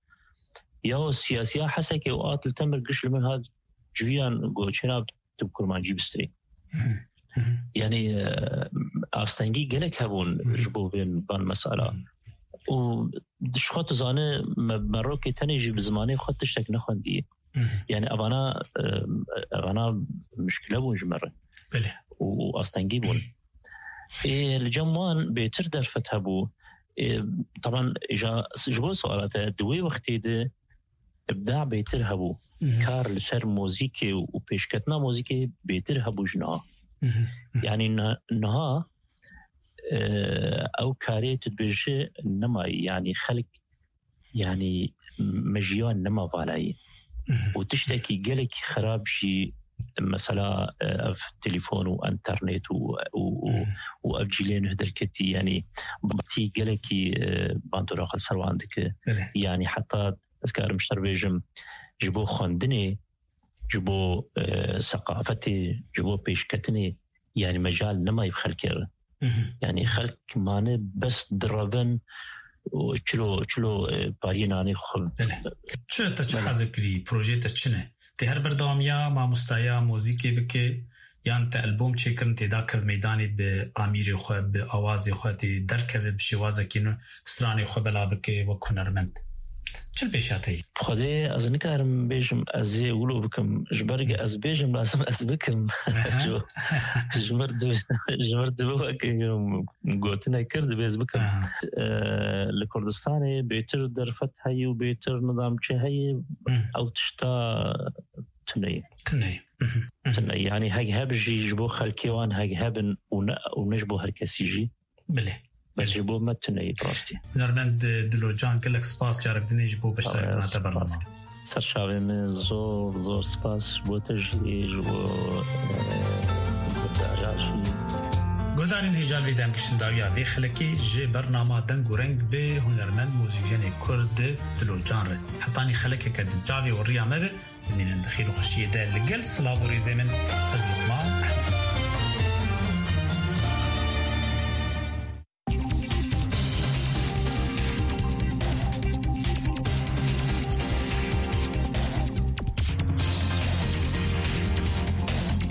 Ya o siyasiya Hesekê û at li temir giş li min hat civiyan got, çêna tu bi kurmancî bistirî. Hı hı. Yanî, e, astengî gelek hebûn Hı hı. ji bo vê van mesela. Hı hı. Û ji xwe tu zane, me, me rokê tenê jî bi zimanê xwe tiştek nexwendiye. Hı hı. Yanî evana, e, evana mişkile bûn ji me re. Belê. Û, û astengî bûn. Ê, li cem wan bêtir derfet hebû. Ê, teban, ja, ji bo suala te, di wê wextê de îbda bêtir hebû. Mhm. Kar li ser muzîkê û pêşketina muzîkê bêtir hebû ji niha. Mhm. Mhm. Yanî ni-, niha, e, ew karê tu dibêjî nemayî. Yanî xelk, yanî mejiya nema valayî. Mhm. Û tiştekî gelekî xerab jî mesela, e, ev telefon û enternet û, û, û, Mhm. û ev cîlê nuh derketî, yanî batî gelekî, e, bandora xwe ser wan dike. Belê. Yanî heta ez karim ji te re bêjim, ji bo xwendinê, ji bo, e, seqafetê, ji bo pêşketinê, yanî mecal nemayî bi xelkê re. Mhm. Yanî xelk mane bes direvin û çilo, çilo, e, pariyê nanê xwe. Belê. Çi te çi Belê. Hezir kirî? Projeyê te çi ne? Tê her berdewamiya mamostaya muzîkê bike, yan te albom çêkirin, tê da kev meydanê bi amîrê xwe, bi awazê xwe, tê derkeve bi şêwazekî nû stranê xwe bela bike wek hunermend? Çi li pêşiya te ye? Xwedê ez nikarim bêjim ez ê wilo bikim. Ji ber ku ez bêjim lazim ez bikim. Aha. Ji, ji mir di-, ji mir dibe wek gotinek kir dibê ez bikim. Aha. E, li Kurdistanê bêtir derfet heye û bêtir nizam çi heye, Hı. ew tişta tune ye. Tune ye. Hı hı. Hı hı. Tune ye. Yani hek heb jî ji bo xelkê wan hek hebin û ne, û ne ji bo her kesî jî. Bilê. Bes ji bo me tune ye bi rastî. Hunermend Dilocan, gelek spas carek dinê ji bo beşdarîbûna te bernama. Ser çavê min zor, zor spas ji bo te jî, ji bo, e, guhdara jî. Guhdarên hêja vê demkişindawiya vê xelekê ji bernama Deng û Reng bi hunermend muzîkjenê Kurd Dilocan re. Hetanî xelekeke din çavê û riya me be, bimînin di xêr û xweşiyê de li gel silav û rêzê min. Ez